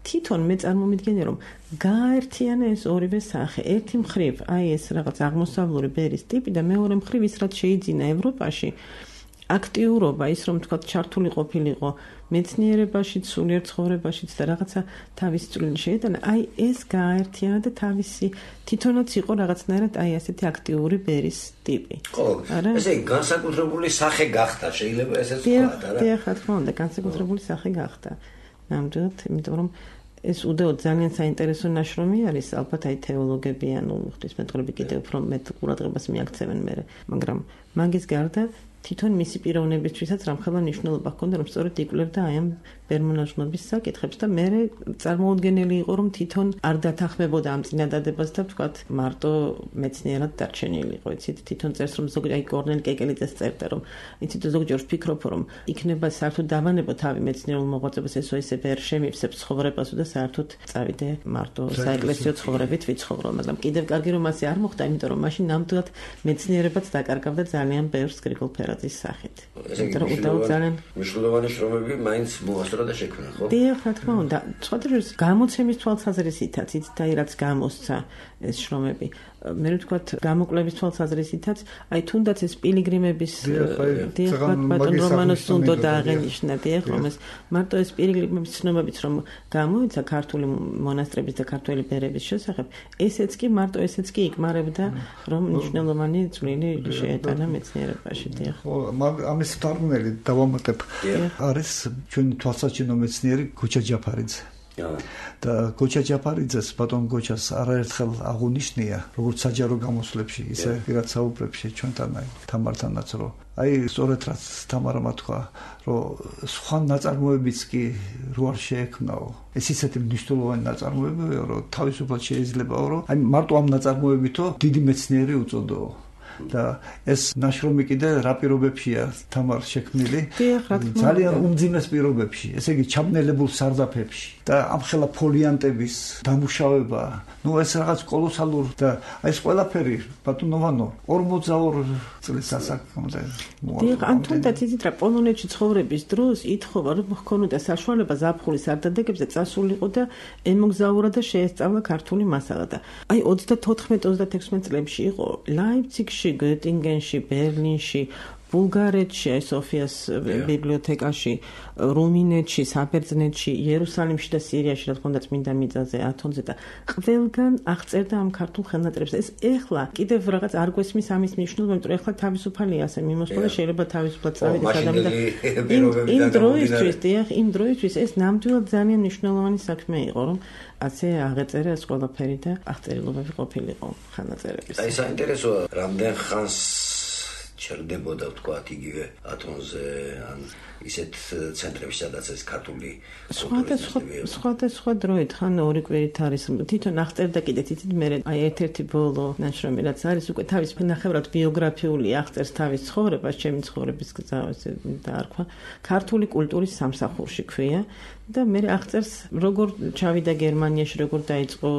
თვითონ მე წარმომიდგენია რომ გააერთიანა ეს ორივე სახე. ერთი მხრივ აი ეს რაღაც აღმოსავლური ბერის ტიპი და მეორე მხრივ ის რაც შეიძინა ევროპაში აქტიურობა, ის რომ თქვა ჩართული ყოფილიყო მეცნიერებაში, სულიერ ცხოვრებაშიც და რაღაცა თავისი წვლილი შეიტანა, აი ეს გააერთიანა და თავისი თვითონაც იყო რაღაცნაირად აი ასეთი აქტიური ბერის ტიპი. ხო, ესე იგი განსაკუთრებული სახე გახდა, შეიძლება ესეც ვთქვათ, არა? დიახ, რა თქმა უნდა, განსაკუთრებული სახე გახდა. ნამდვილად, იმიტომ რომ ეს უდაოდ ძალიან საინტერესო ნაშრომი არის, ალბათ აი თეოლოგები ანუ ღვთისმეტყველები კიდევ უფრო მეტ ყურადღებას მიაქცევენ მე, მაგრამ მაგის გარდა თვითონ მისი პიროვნებისთვისაც რამხელა მნიშვნელობა ჰქონდა, რომ სწორედ იკვლევდა აი ამ ბერმონაშრომების საკითხებს და მე წარმოუდგენელი იყო, რომ თვითონ არ დათანხმებოდა ამ წინადადებას და ვთქვათ, მარტო მეცნიერად დარჩენილი იყო. იცით, თვითონ წერს, რომ ზოგი აი კორნელ კეკელიძეს წერდა, რომ იცით, ზოგჯერ ვფიქრობ, რომ იქნება საერთოდ დავანებო თავი მეცნიერულ მოღვაწეობას ესო ესე ვერ შემივსებ ცხოვრებას და საერთოდ წავიდე მარტო საეკლესიო ცხოვრებით ვიცხოვრო, მაგრამ კიდევ კარგი რომ ასე არ მოხდა, იმიტომ რომ მაშინ ნამდვილად მეცნიერებაც დაკარგავდა ძალიან ბევრს გრიგოლ ფერაძის სახით. იმიტომ რომ უდაოდ ძალიან მნიშვნელოვანი შრომები მაინც მოასწრო და შექმნა, ხო? დიახ, რა თქმა უნდა. სხვადასხვა გამოცემის თვალსაზრისითაც, იცით, აი რაც გამოსცა ეს შრომები. მე ვთქვათ, გამოკვლევის თვალსაზრისითაც, აი თუნდაც ეს პილიგრიმების დიახ, ბატონ რომანოს უნდა დააღენიშნა, დიახ, რომ ეს მარტო ეს პილიგრიმების ცნობებიც რომ გამოიცა ქართული მონასტრების და ქართველი ბერების შესახებ, ესეც კი მარტო ესეც კი იკმარებდა, რომ მნიშვნელოვანი წვლილი შეეტანა მეცნიერებაში, დიახ. ხო, ამის თარგმნელი დავამატებ. არის ჩვენი თვალსაჩინო მეცნიერი გოჩა ჯაფარიძე. და გოჩა ჯაფარიძეს ბატონ გოჩას არაერთხელ აღუნიშნია როგორც საჯარო გამოსვლებში, ისე პირად საუბრებში ჩვენთან აი თამართანაც რომ აი სწორედ რაც თამარმა თქვა, რომ სხვა ნაწარმოებიც კი რო არ შეექმნაო. ეს ისეთი მნიშვნელოვანი ნაწარმოებია, რომ თავისუფლად შეიძლებაო, რომ აი მარტო ამ ნაწარმოებითო დიდი მეცნიერი უწოდოო. და ეს ნაშრომი კიდე რა პირობებშია თამარ შექმნილი? ძალიან უმძიმეს პირობებში, ესე იგი ჩაბნელებულ სარდაფებში და ამხელა ფოლიანტების დამუშავება, ну ეს რაღაც კოლოსალურ და ეს ყველაფერი ბატონოვანო ორმოცდაორი წლის ასაკამდე. დიახ, ან თუნდაც იცით რა, პოლონეთში ცხოვრების დროს ითხოვა, რომ ჰქონოდა საშუალება ზაფხულის არდადეგებზე წასულიყო და ემოგზაურა და შეესწავლა ქართული მასალა და აი ოცდათოთხმეტ ოცდათექვსმეტ წლებში იყო ლაიფციგში, გეტინგენში, ბერლინში, ბულგარეთში, აი სოფიას ბიბლიოთეკაში, რუმინეთში, საბერძნეთში, იერუსალიმში და სირიაში, რა თქმა უნდა, წმინდა მიწაზე, ათონზე და ყველგან აღწერდა ამ ქართულ ხელნაწერებს. ეს ეხლა კიდევ რაღაც არ გვესმის ამის მნიშვნელობა, იმიტომ რომ ეხლა თავისუფალია ასე მიმოსვლა და შეიძლება თავისუფლად წავიდეს ადამიანი და იმ დროისთვის, დიახ, იმ დროისთვის ეს ნამდვილად ძალიან მნიშვნელოვანი საქმე იყო, რომ ასე აღეწერა ეს ყველაფერი და აღწერილობები ყოფილიყო ხელნაწერების. აი საინტერესოა, რამდენ ხანს ჩერდებოდა თქვა იგივე ათონზე ან ისეთ ცენტრებში, სადაც ეს ქართული სხვადასხვა სხვადასხვა დროით ხან ორი კვირით არის თვითონ აღწერდა კიდე თითით მე აი ერთ-ერთი ბოლო ნაშრომი რაც არის უკვე თავის ნახევრად ბიოგრაფიული აღწერს თავის ცხოვრებას, ჩემი ცხოვრების გზა დაარქვა ქართული კულტურის სამსახურში ქვია და მე აღწერს როგორ ჩავიდა გერმანიაში, როგორ დაიწყო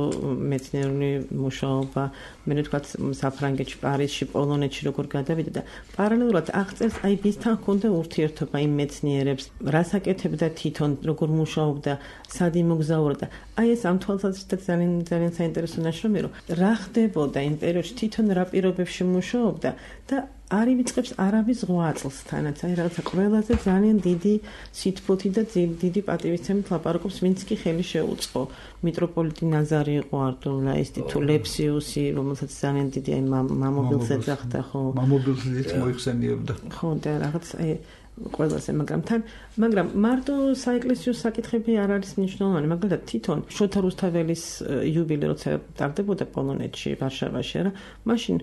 მეცნიერული მუშაობა, მე ვთქვათ საფრანგეთში, პარიზში, პოლონეთში როგორ გადავიდა და პარალელურად აღწერს აი ვისთან ჰქონდა ურთიერთობა იმ მეცნიერებს, რას აკეთებდა თვითონ, როგორ მუშაობდა, სად იმოგზაურა და აი ეს ამ თვალსაზრისით ძალიან ძალიან საინტერესო ნაშრომია, რომ რა ხდებოდა იმ პერიოდში თვითონ რა პირობებში მუშაობდა და არ ივიწყებს არავის ზღვა წელს თანაც, აი რაღაცა ყველაზე ძალიან დიდი სითბოთი და დიდი პატივისცემით ლაპარაკობს, ვინც კი ხელი შეუწყო. მიტროპოლიტი ნაზარი იყო არტულაისტი თუ ლეფსიუსი, რომელსაც ძალიან დიდი აი მამობილს ეძახდა, ხო? მამობილს მოიხსენიებდა. ხო, და რაღაც აი ყველაზე, მაგრამ თან, მაგრამ მარტო საეკლესიო საკითხები არ არის მნიშვნელოვანი, მაგალითად თვითონ შოთა რუსთაველის იუბილე როცა ტარდებოდა პოლონეთში, ვარშავაში, რა, მაშინ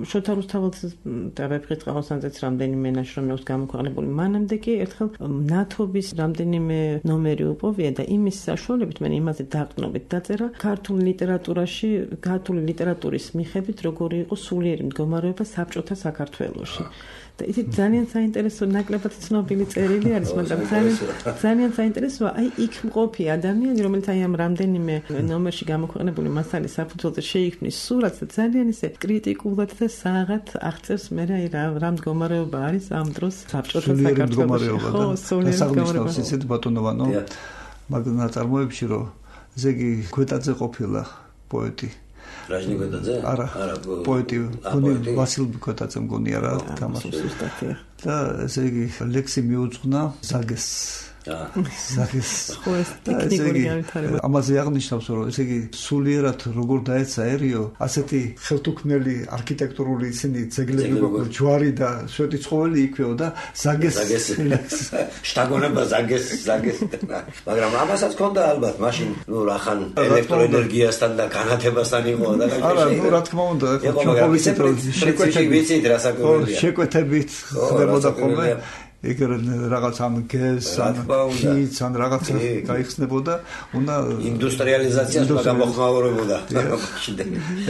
შოთა რუსთაველს და ვეფხისტ ყაოსანძეც რამდენიმე ნაშრომი აქვს გამოქვეყნებული, მანამდე კი ერთხელ ნათობის რამდენიმე ნომერი უპოვია და იმის საშუალებით მე იმაზე დაყრდნობით დაწერა ქართულ ლიტერატურაში, ქართული ლიტერატურის მიხედვით როგორი იყო სულიერი მდგომარეობა საბჭოთა საქართველოში. და ისე ძალიან საინტერესო ნაკლებად ცნობილი წერილი არის, მაგრამ ძალიან ძალიან საინტერესოა აი იქ მყოფი ადამიანი, რომელიც აი ამ რამდენიმე ნომერში გამოქვეყნებული მასალის საფუძველზე შეიქმნის სურათს და ძალიან ისე კრიტიკულად და საღად აღწერს მე აი რა რა მდგომარეობა არის ამ დროს საბჭოთა საქართველოში. ხო, სულიერი მდგომარეობა. ისეთ ბატონოვანო მაგ ნაწარმოებში რომ ზეგი გვეტაძე ყოფილა პოეტი. რაჟნი გვეტაძე? არა, პოეტი, ვასილ გვეტაძე მგონია რა თამაში. და ესე იგი ლექსი მიუძღვნა ზაგეს ზაგეს ამაზე აღნიშნავს რომ ესე იგი სულიერად როგორ დაეცაერიო ასეთი ხელთუქმნელი არქიტექტურული ისინი ძეგლები გვაქვს ჯვარი და შვედი ცხოველი იქვეო და ზაგეს შტაგონება ზაგეს ზაგეს მაგრამ ამასაც ქონდა ალბათ მაშინ ნუ რახან ელექტროენერგიასთან და განათებასთან იყო და არა ნუ რა თქმა უნდა შეკვეთებით ვიცით რა საქმეა შეკვეთებით ხდებოდა ხოლმე ეგრე რაღაც ამ გეზს ან ხიც ან რაღაცა გაიხსნებოდა უნდა ინდუსტრიალიზაციას გამოხმაურებოდა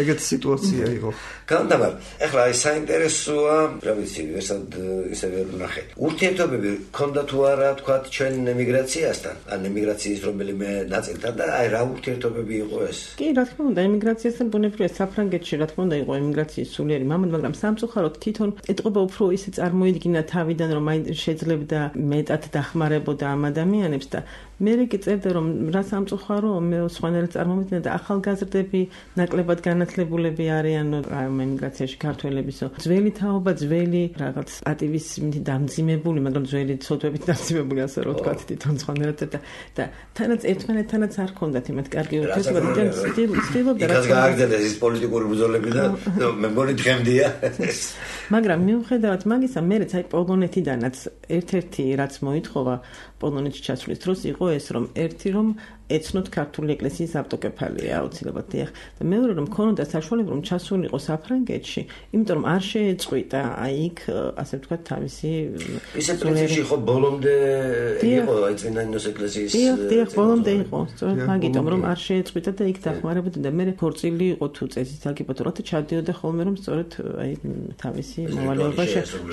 ეგეთი სიტუაცია იყო განთავარ ეხლა აი საინტერესოა რა ვიცი ვერსად ისე ვერ ვნახე ურთიერთობები ქონდა თუ არა თქვა ჩვენ ემიგრაციასთან ან ემიგრაციის რომელიმე ნაწილთან და აი რა ურთიერთობები იყო ეს კი რა თქმა უნდა ემიგრაციასთან ბუნებრივია საფრანგეთში რა თქმა უნდა იყო ემიგრაციის სულიერი მამად მაგრამ სამწუხაროდ თვითონ ეთყობა უფრო ისე წარმოიდგინა თავიდან რომ აი შეძლებდა მეტად დახმარებოდა ამ ადამიანებს და მე კი წერდა რომ რა სამწუხარო მე სხვანაირად წარმოვიდგინე და ახალგაზრდები ნაკლებად განათლებულები არიან ამ ემიგრაციაში ქართველებისო ძველი თაობა ძველი რაღაც პატივისმით დამძიმებული მაგრამ ძველი ცოდვებით დამძიმებული ასე რომ ვთქვათ თვითონ სხვანაირად და და თანაც ერთმანეთთანაც არ ქონდათ იმათ კარგი ურთიერთობა და ცდილობდა რა გააგრძელეს ის პოლიტიკური ბრძოლები და მე მგონი დღემდეა მაგრამ მიუხედავად მაგისა მეც აი პოლონეთიდანაც ერთ-ერთი რაც მოითხოვა პოლონეთში ჩასვლის დროს იყო ეს რომ ერთი რომ ეცნოთ ქართული ეკლესიის ავტოკეფალია აუცილებლად დიახ და მეორე რომ ქონოდა საშუალება რომ ჩასულიყო საფრანგეთში იმიტომ რომ არ შეეწყვიტა აი იქ ასე ვთქვათ თავისი ისე პრინციპში ხო ბოლომდე იყო აი წმინდა ნინოს ეკლესიის დიახ დიახ ბოლომდე იყო სწორედ მაგიტომ რომ არ შეეწყვიტა და იქ დახმარებოდა და მე ხორცილი იყო თუ წესით აგიპოტროთი ჩადიოდა ხოლმე რომ სწორედ აი თავისი მოვალეობა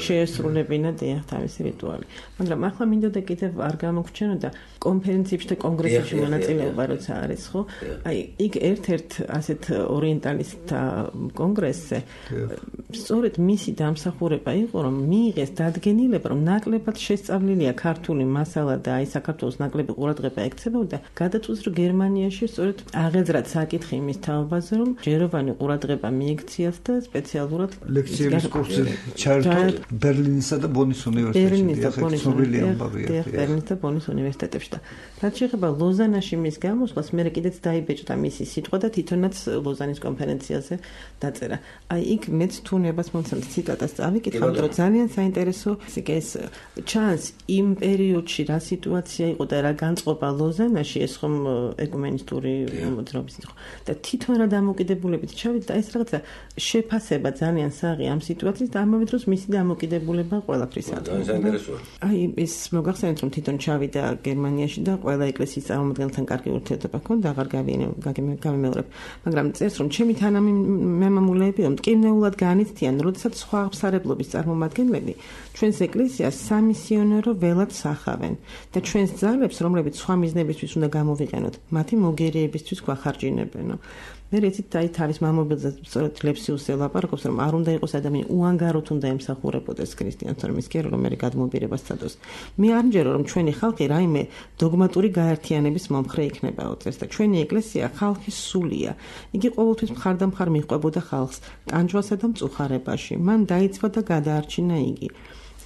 შეესრულებინა დიახ თავისი რიტუალი მაგრამ ახლა მინდოდა კიდევ არ გამოგჩენოდა კონფერენციებში და კონგრესებში მონაწილეობა როცა არის ხო აი იქ ერთ-ერთ ასეთ ორიენტალისტთა კონგრესზე სწორედ მისი დამსახურება იყო რომ მიიღეს დადგენილება რომ ნაკლებად შესწავლილია ქართული მასალა და აი საქართველოს ნაკლები ყურადღება ექცებოდა გადაწყვიტეს რომ გერმანიაში სწორედ აღეძრათ საკითხი იმის თაობაზე რომ ჯეროვანი ყურადღება მიექციათ და სპეციალურად ლექციების კურსი ჩაერთო ბერლინისა და ბონის უნივერსიტეტებში ბერლინის და ბონის უნივერსიტეტებში და რაც შეეხება ლოზანაში მის გამოსვლას მე კიდეც დაიბეჭდა მისი სიტყვა და თვითონაც ლოზანის კონფერენციაზე დაწერა. აი იქ მეც თუნებას მომცემთ ციტატას წავიკითხავთ რომ ძალიან საინტერესო ეს ჩანს იმ პერიოდში რა სიტუაცია იყო და რა განწყობა ლოზანაში ეს ხომ ეკუმენისტური მოძრაობის იყო და თვითონ რა დამოკიდებულებით ჩავიდა და ეს რაღაცა შეფასება ძალიან საღი ამ სიტუაციის და ამავე დროს მისი დამოკიდებულება ყველაფრისა. ძალიან საინტერესოა. აი ეს მოგახსენეთ რომ თვითონ ჩავიდა გერმანიაში და ყველა ეკლესიის წარმომადგენელთან კარგი ურთიერთობა ჰქონდა აღარ გავიმეორებ მაგრამ წერს რომ ჩემი თანამემამულეები რომ მტკივნეულად განიცდიან როდესაც სხვა აღმსარებლობის წარმომადგენლები ჩვენს ეკლესიას სამისიონერო ველად სახავენ და ჩვენს ძალებს რომლებიც სხვა მიზნებისთვის უნდა გამოვიყენოთ მათი მოგერიებისთვის გვახარჯინებენო მე რეცით აი თავის მამობილზე სწორედ ლეფსიუსს ელაპარაკობს რომ არ უნდა იყოს ადამიანი უანგაროდ უნდა ემსახურებოდეს ქრისტიანს რომ ის კი რომ მე გადმობირებას წადოს მე არ მჯერო რომ ჩვენი ხალხი რაიმე დოგმატური გაერთიანების მომხრე იქნებაო წერს და ჩვენი ეკლესია ხალხის სულია იგი ყოველთვის მხარდამხარ მიყვებოდა ხალხს ტანჯვასა და მწუხარებაში მან დაიცვა და გადაარჩინა იგი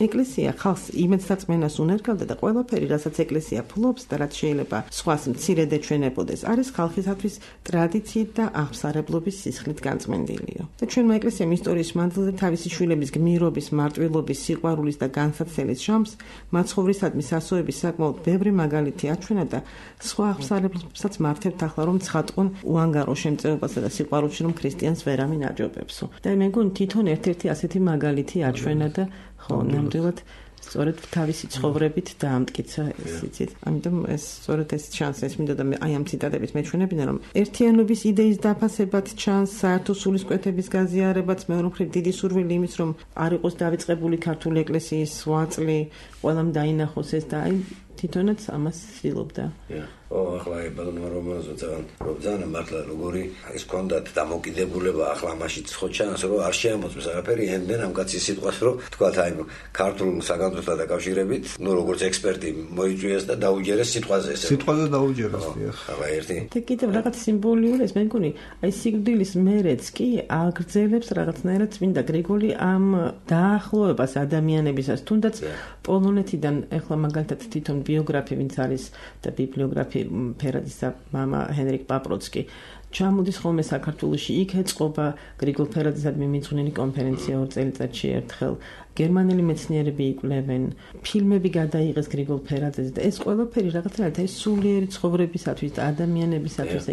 ეკლესია ხალხს იმედსაწმენას უნერგავდა და ყველაფერი, რასაც ეკლესია ფლობს და რაც შეიძლება სხვას მცირედ ეჩვენებოდეს, არის ხალხისათვის ტრადიციით და აღსარებლობის სისხლით განწმენდილიო. და ჩვენმა ეკლესიამ ისტორიის მანძილზე თავისი შვილების გმირობის, მარტვილობის, სიყვარულის და განსაცდელის ჟამს მაცხოვრისადმი სასოების საკმაოდ ბევრი მაგალითი აჩვენა და სხვა აღსარებლებსაც მართებთ ახლა რომ ცხადყონ უანგარო შემწეობასა და სიყვარულში რომ ქრისტიანს ვერავინ აჯობებსო. და მე მგონი თვითონ ერთ-ერთი ასეთი მაგალითი აჩვენა და ხო, ნამდვილად სწორედ თავისი ცხოვრებით დაამტკიცა ეს იცით. ამიტომ ეს სწორედ ეს ჩანს, ეს მინდოდა აი ამ ციტატებით მეჩვენებინა რომ ერთიანობის იდეის დაფასებად ჩანს, საერთო სულისკვეთების გაზიარებაც, მეორე მხრივ დიდი სურვილი იმის რომ არ იყოს დავიწყებული ქართული ეკლესიის ვაწლი, ყველამ დაინახოს ეს და აი თვითონაც ამას ცდილობდა. ო, ახლა ბალონმა რომანზე ძალიან რომ ძალიან მართლა როგორი ის კონდათ დამოკიდებულება ახლა მაშინ ხო ჩანს რომ არ შეამოწმეს არაფერი ენდენ ამ კაცის სიტყვას რომ თქვათ აი ქართულ საგანძურთან დაკავშირებით ნუ როგორც ექსპერტი მოიჭვიეს და დაუჯერეს სიტყვაზე ესე სიტყვაზე დაუჯერეს ახლა ერთი და კიდევ რაღაც სიმბოლიური ეს მე მგონი აი სიკვდილის მერეც კი აგრძელებს რაღაცნაირად წმინდა გრიგოლი ამ დაახლოებას ადამიანებისას თუნდაც პოლონეთიდან ახლა მაგალითად თვითონ ბიოგრაფი, ვინც არის და ბიბლიოგრაფი ფერაძისა მამა ჰენრიკ პაპროცკი ჩამოდის ხოლმე საქართველოში, იქ ეწყობა გრიგოლ ფერაძისადმი მიძღვნილი კონფერენცია ორ წელიწადში ერთხელ. გერმანელი მეცნიერები იკვლევენ, ფილმები გადაიღეს გრიგოლ ფერაძეზე და ეს ყველაფერი რაღაცნაირად ეს სულიერი ცხოვრებისათვის და ადამიანებისათვის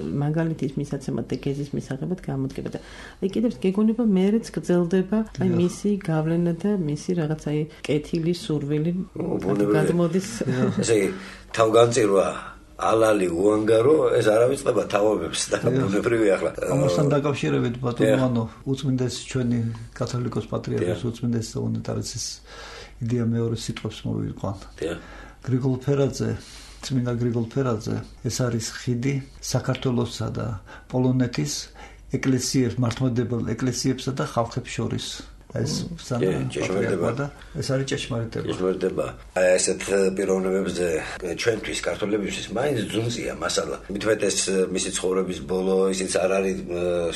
მაგალითის მისაცემად და გეზის მისაღებად გამოდგება და აი კიდევ გეგონება მეც გრძელდება აი მისი გავლენა და მისი რაღაც აი კეთილი სურვილი გადმოდის. ესე იგი თავგანწირვა ალალი უანგარო ეს არავიწყდება თავობებს და ბუნებრივი ახლა ამასთან დაკავშირებით ბატონო უწმინდეს ჩვენი კათოლიკოს პატრიარქოს უწმინდეს უნეტარესის იდეა მეორე სიტყვებს მოვიყვან. გრიგოლ ფერაძე წმინდა გრიგოლ ფერაძე ეს არის ხიდი საქართველოსა და პოლონეთის ეკლესიებს მართლმადიდებელ ეკლესიებსა და ხალხებს შორის. ეს ჭეშმარიტება ეს არის ჭეშმარიტება. ჭეშმარიტება. აი ესეთ პიროვნებებზე ჩვენთვის ქართველებისთვის მაინც ძუნწია მასალა. მithmet ეს მისი ცხოვრების ბოლო ისიც არ არის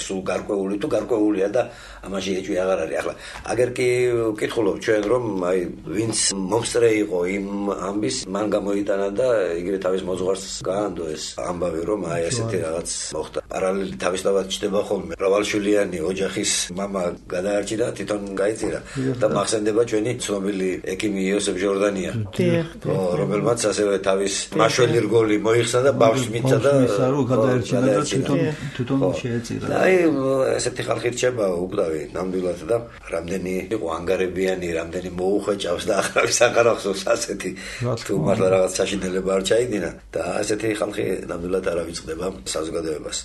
სულ გარკვეული თუ გარკვეულია და ამაში ეჭვი აღარ არის. ახლა აგერ კი ვკითხულობ ჩვენ რომ აი ვინც მომსწრე იყო იმ ამბის მან გამოიტანა და იგივე თავის მოძღვარს გაანდო ეს ამბავი რომ აი ესეთი რაღაც მოხდა. პარალელი თავისთავად ჩდება ხოლმე. მრავალშვილიანი ოჯახის მამა გადაარჩინა თვითონ გაიწირა და მახსენდება ჩვენი ცნობილი ექიმი იოსებ ჟორდანია, რომელმაც ასევე თავის მაშველი რგოლი მოიხსნა და ბავშვს მიწა და გადაერჩინა და თვითონ თვითონ შეეწირა. აი ესეთი ხალხი რჩება უკვდავი ნამდვილად და რამდენი იყო ანგარებიანი, რამდენი მოუხვეჭავს და აღარავის აღარ ახსოვს ასეთი თუ მართლა რაღაც საშინელება არ ჩაიდინა და ასეთი ხალხი ნამდვილად არ ავიწყდება საზოგადოებას.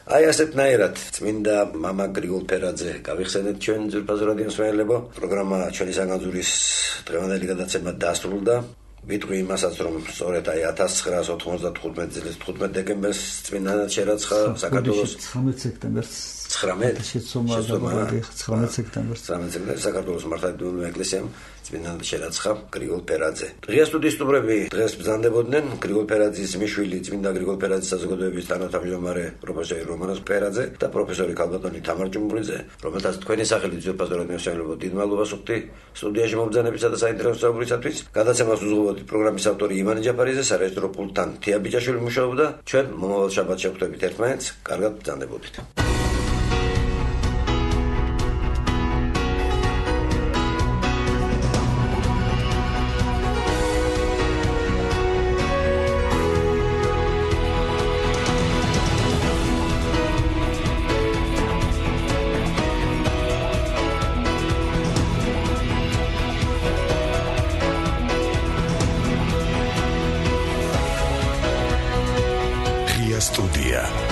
აი ასეთნაირად წმინდა მამა გრიგოლ ფერაძე გავიხსენეთ ჩვენ ძვირფას რადიოს მსმენელებო. პროგრამა ჩვენი საგანძურის დღევანდელი გადაცემა დასრულდა. ვიტყვი იმასაც რომ სწორედ აი ათას ცხრაას ოთხმოცდათხუთმეტი წლის თხუთმეტ დეკემბერს წმინდანად შერაცხა საქართველოს ცხრამეტ სექტემბერს ცხრამეტ ცხრამეტ სექტემბერს საქართველოს მართლმადიდებლური ეკლესიამ წმინდანად შერაცხა გრიგოლ ფერაძე. ღია სტუდიის სტუმრები დღეს ბრძანდებოდნენ გრიგოლ ფერაძის მიშვილი წმინდა გრიგოლ ფერაძის საზოგადოების თანათავმჯდომარე პროფესორი რომანოს ფერაძე და პროფესორი ქალბატონი თამარ ჭუმბურიძე, რომელთაც თქვენი სახელით ძვირფას რადიოს მსმენელებო დიდ მადლობას ვუხდი სტუდიაში მომბრძანებისა და საინტერესო საუბრისათვის. გადაცემას უზრუნველყოფთ პროგრამის ავტორი ივანე ჯაფარიძე, სარეჟისორო პულტთან თია ბიჭაშვილი მუშაობდა. ჩვენ მომავალ შაბათს შევხვდებით ერთმანეთს. კარგად ბრძანდებოდით. Studia.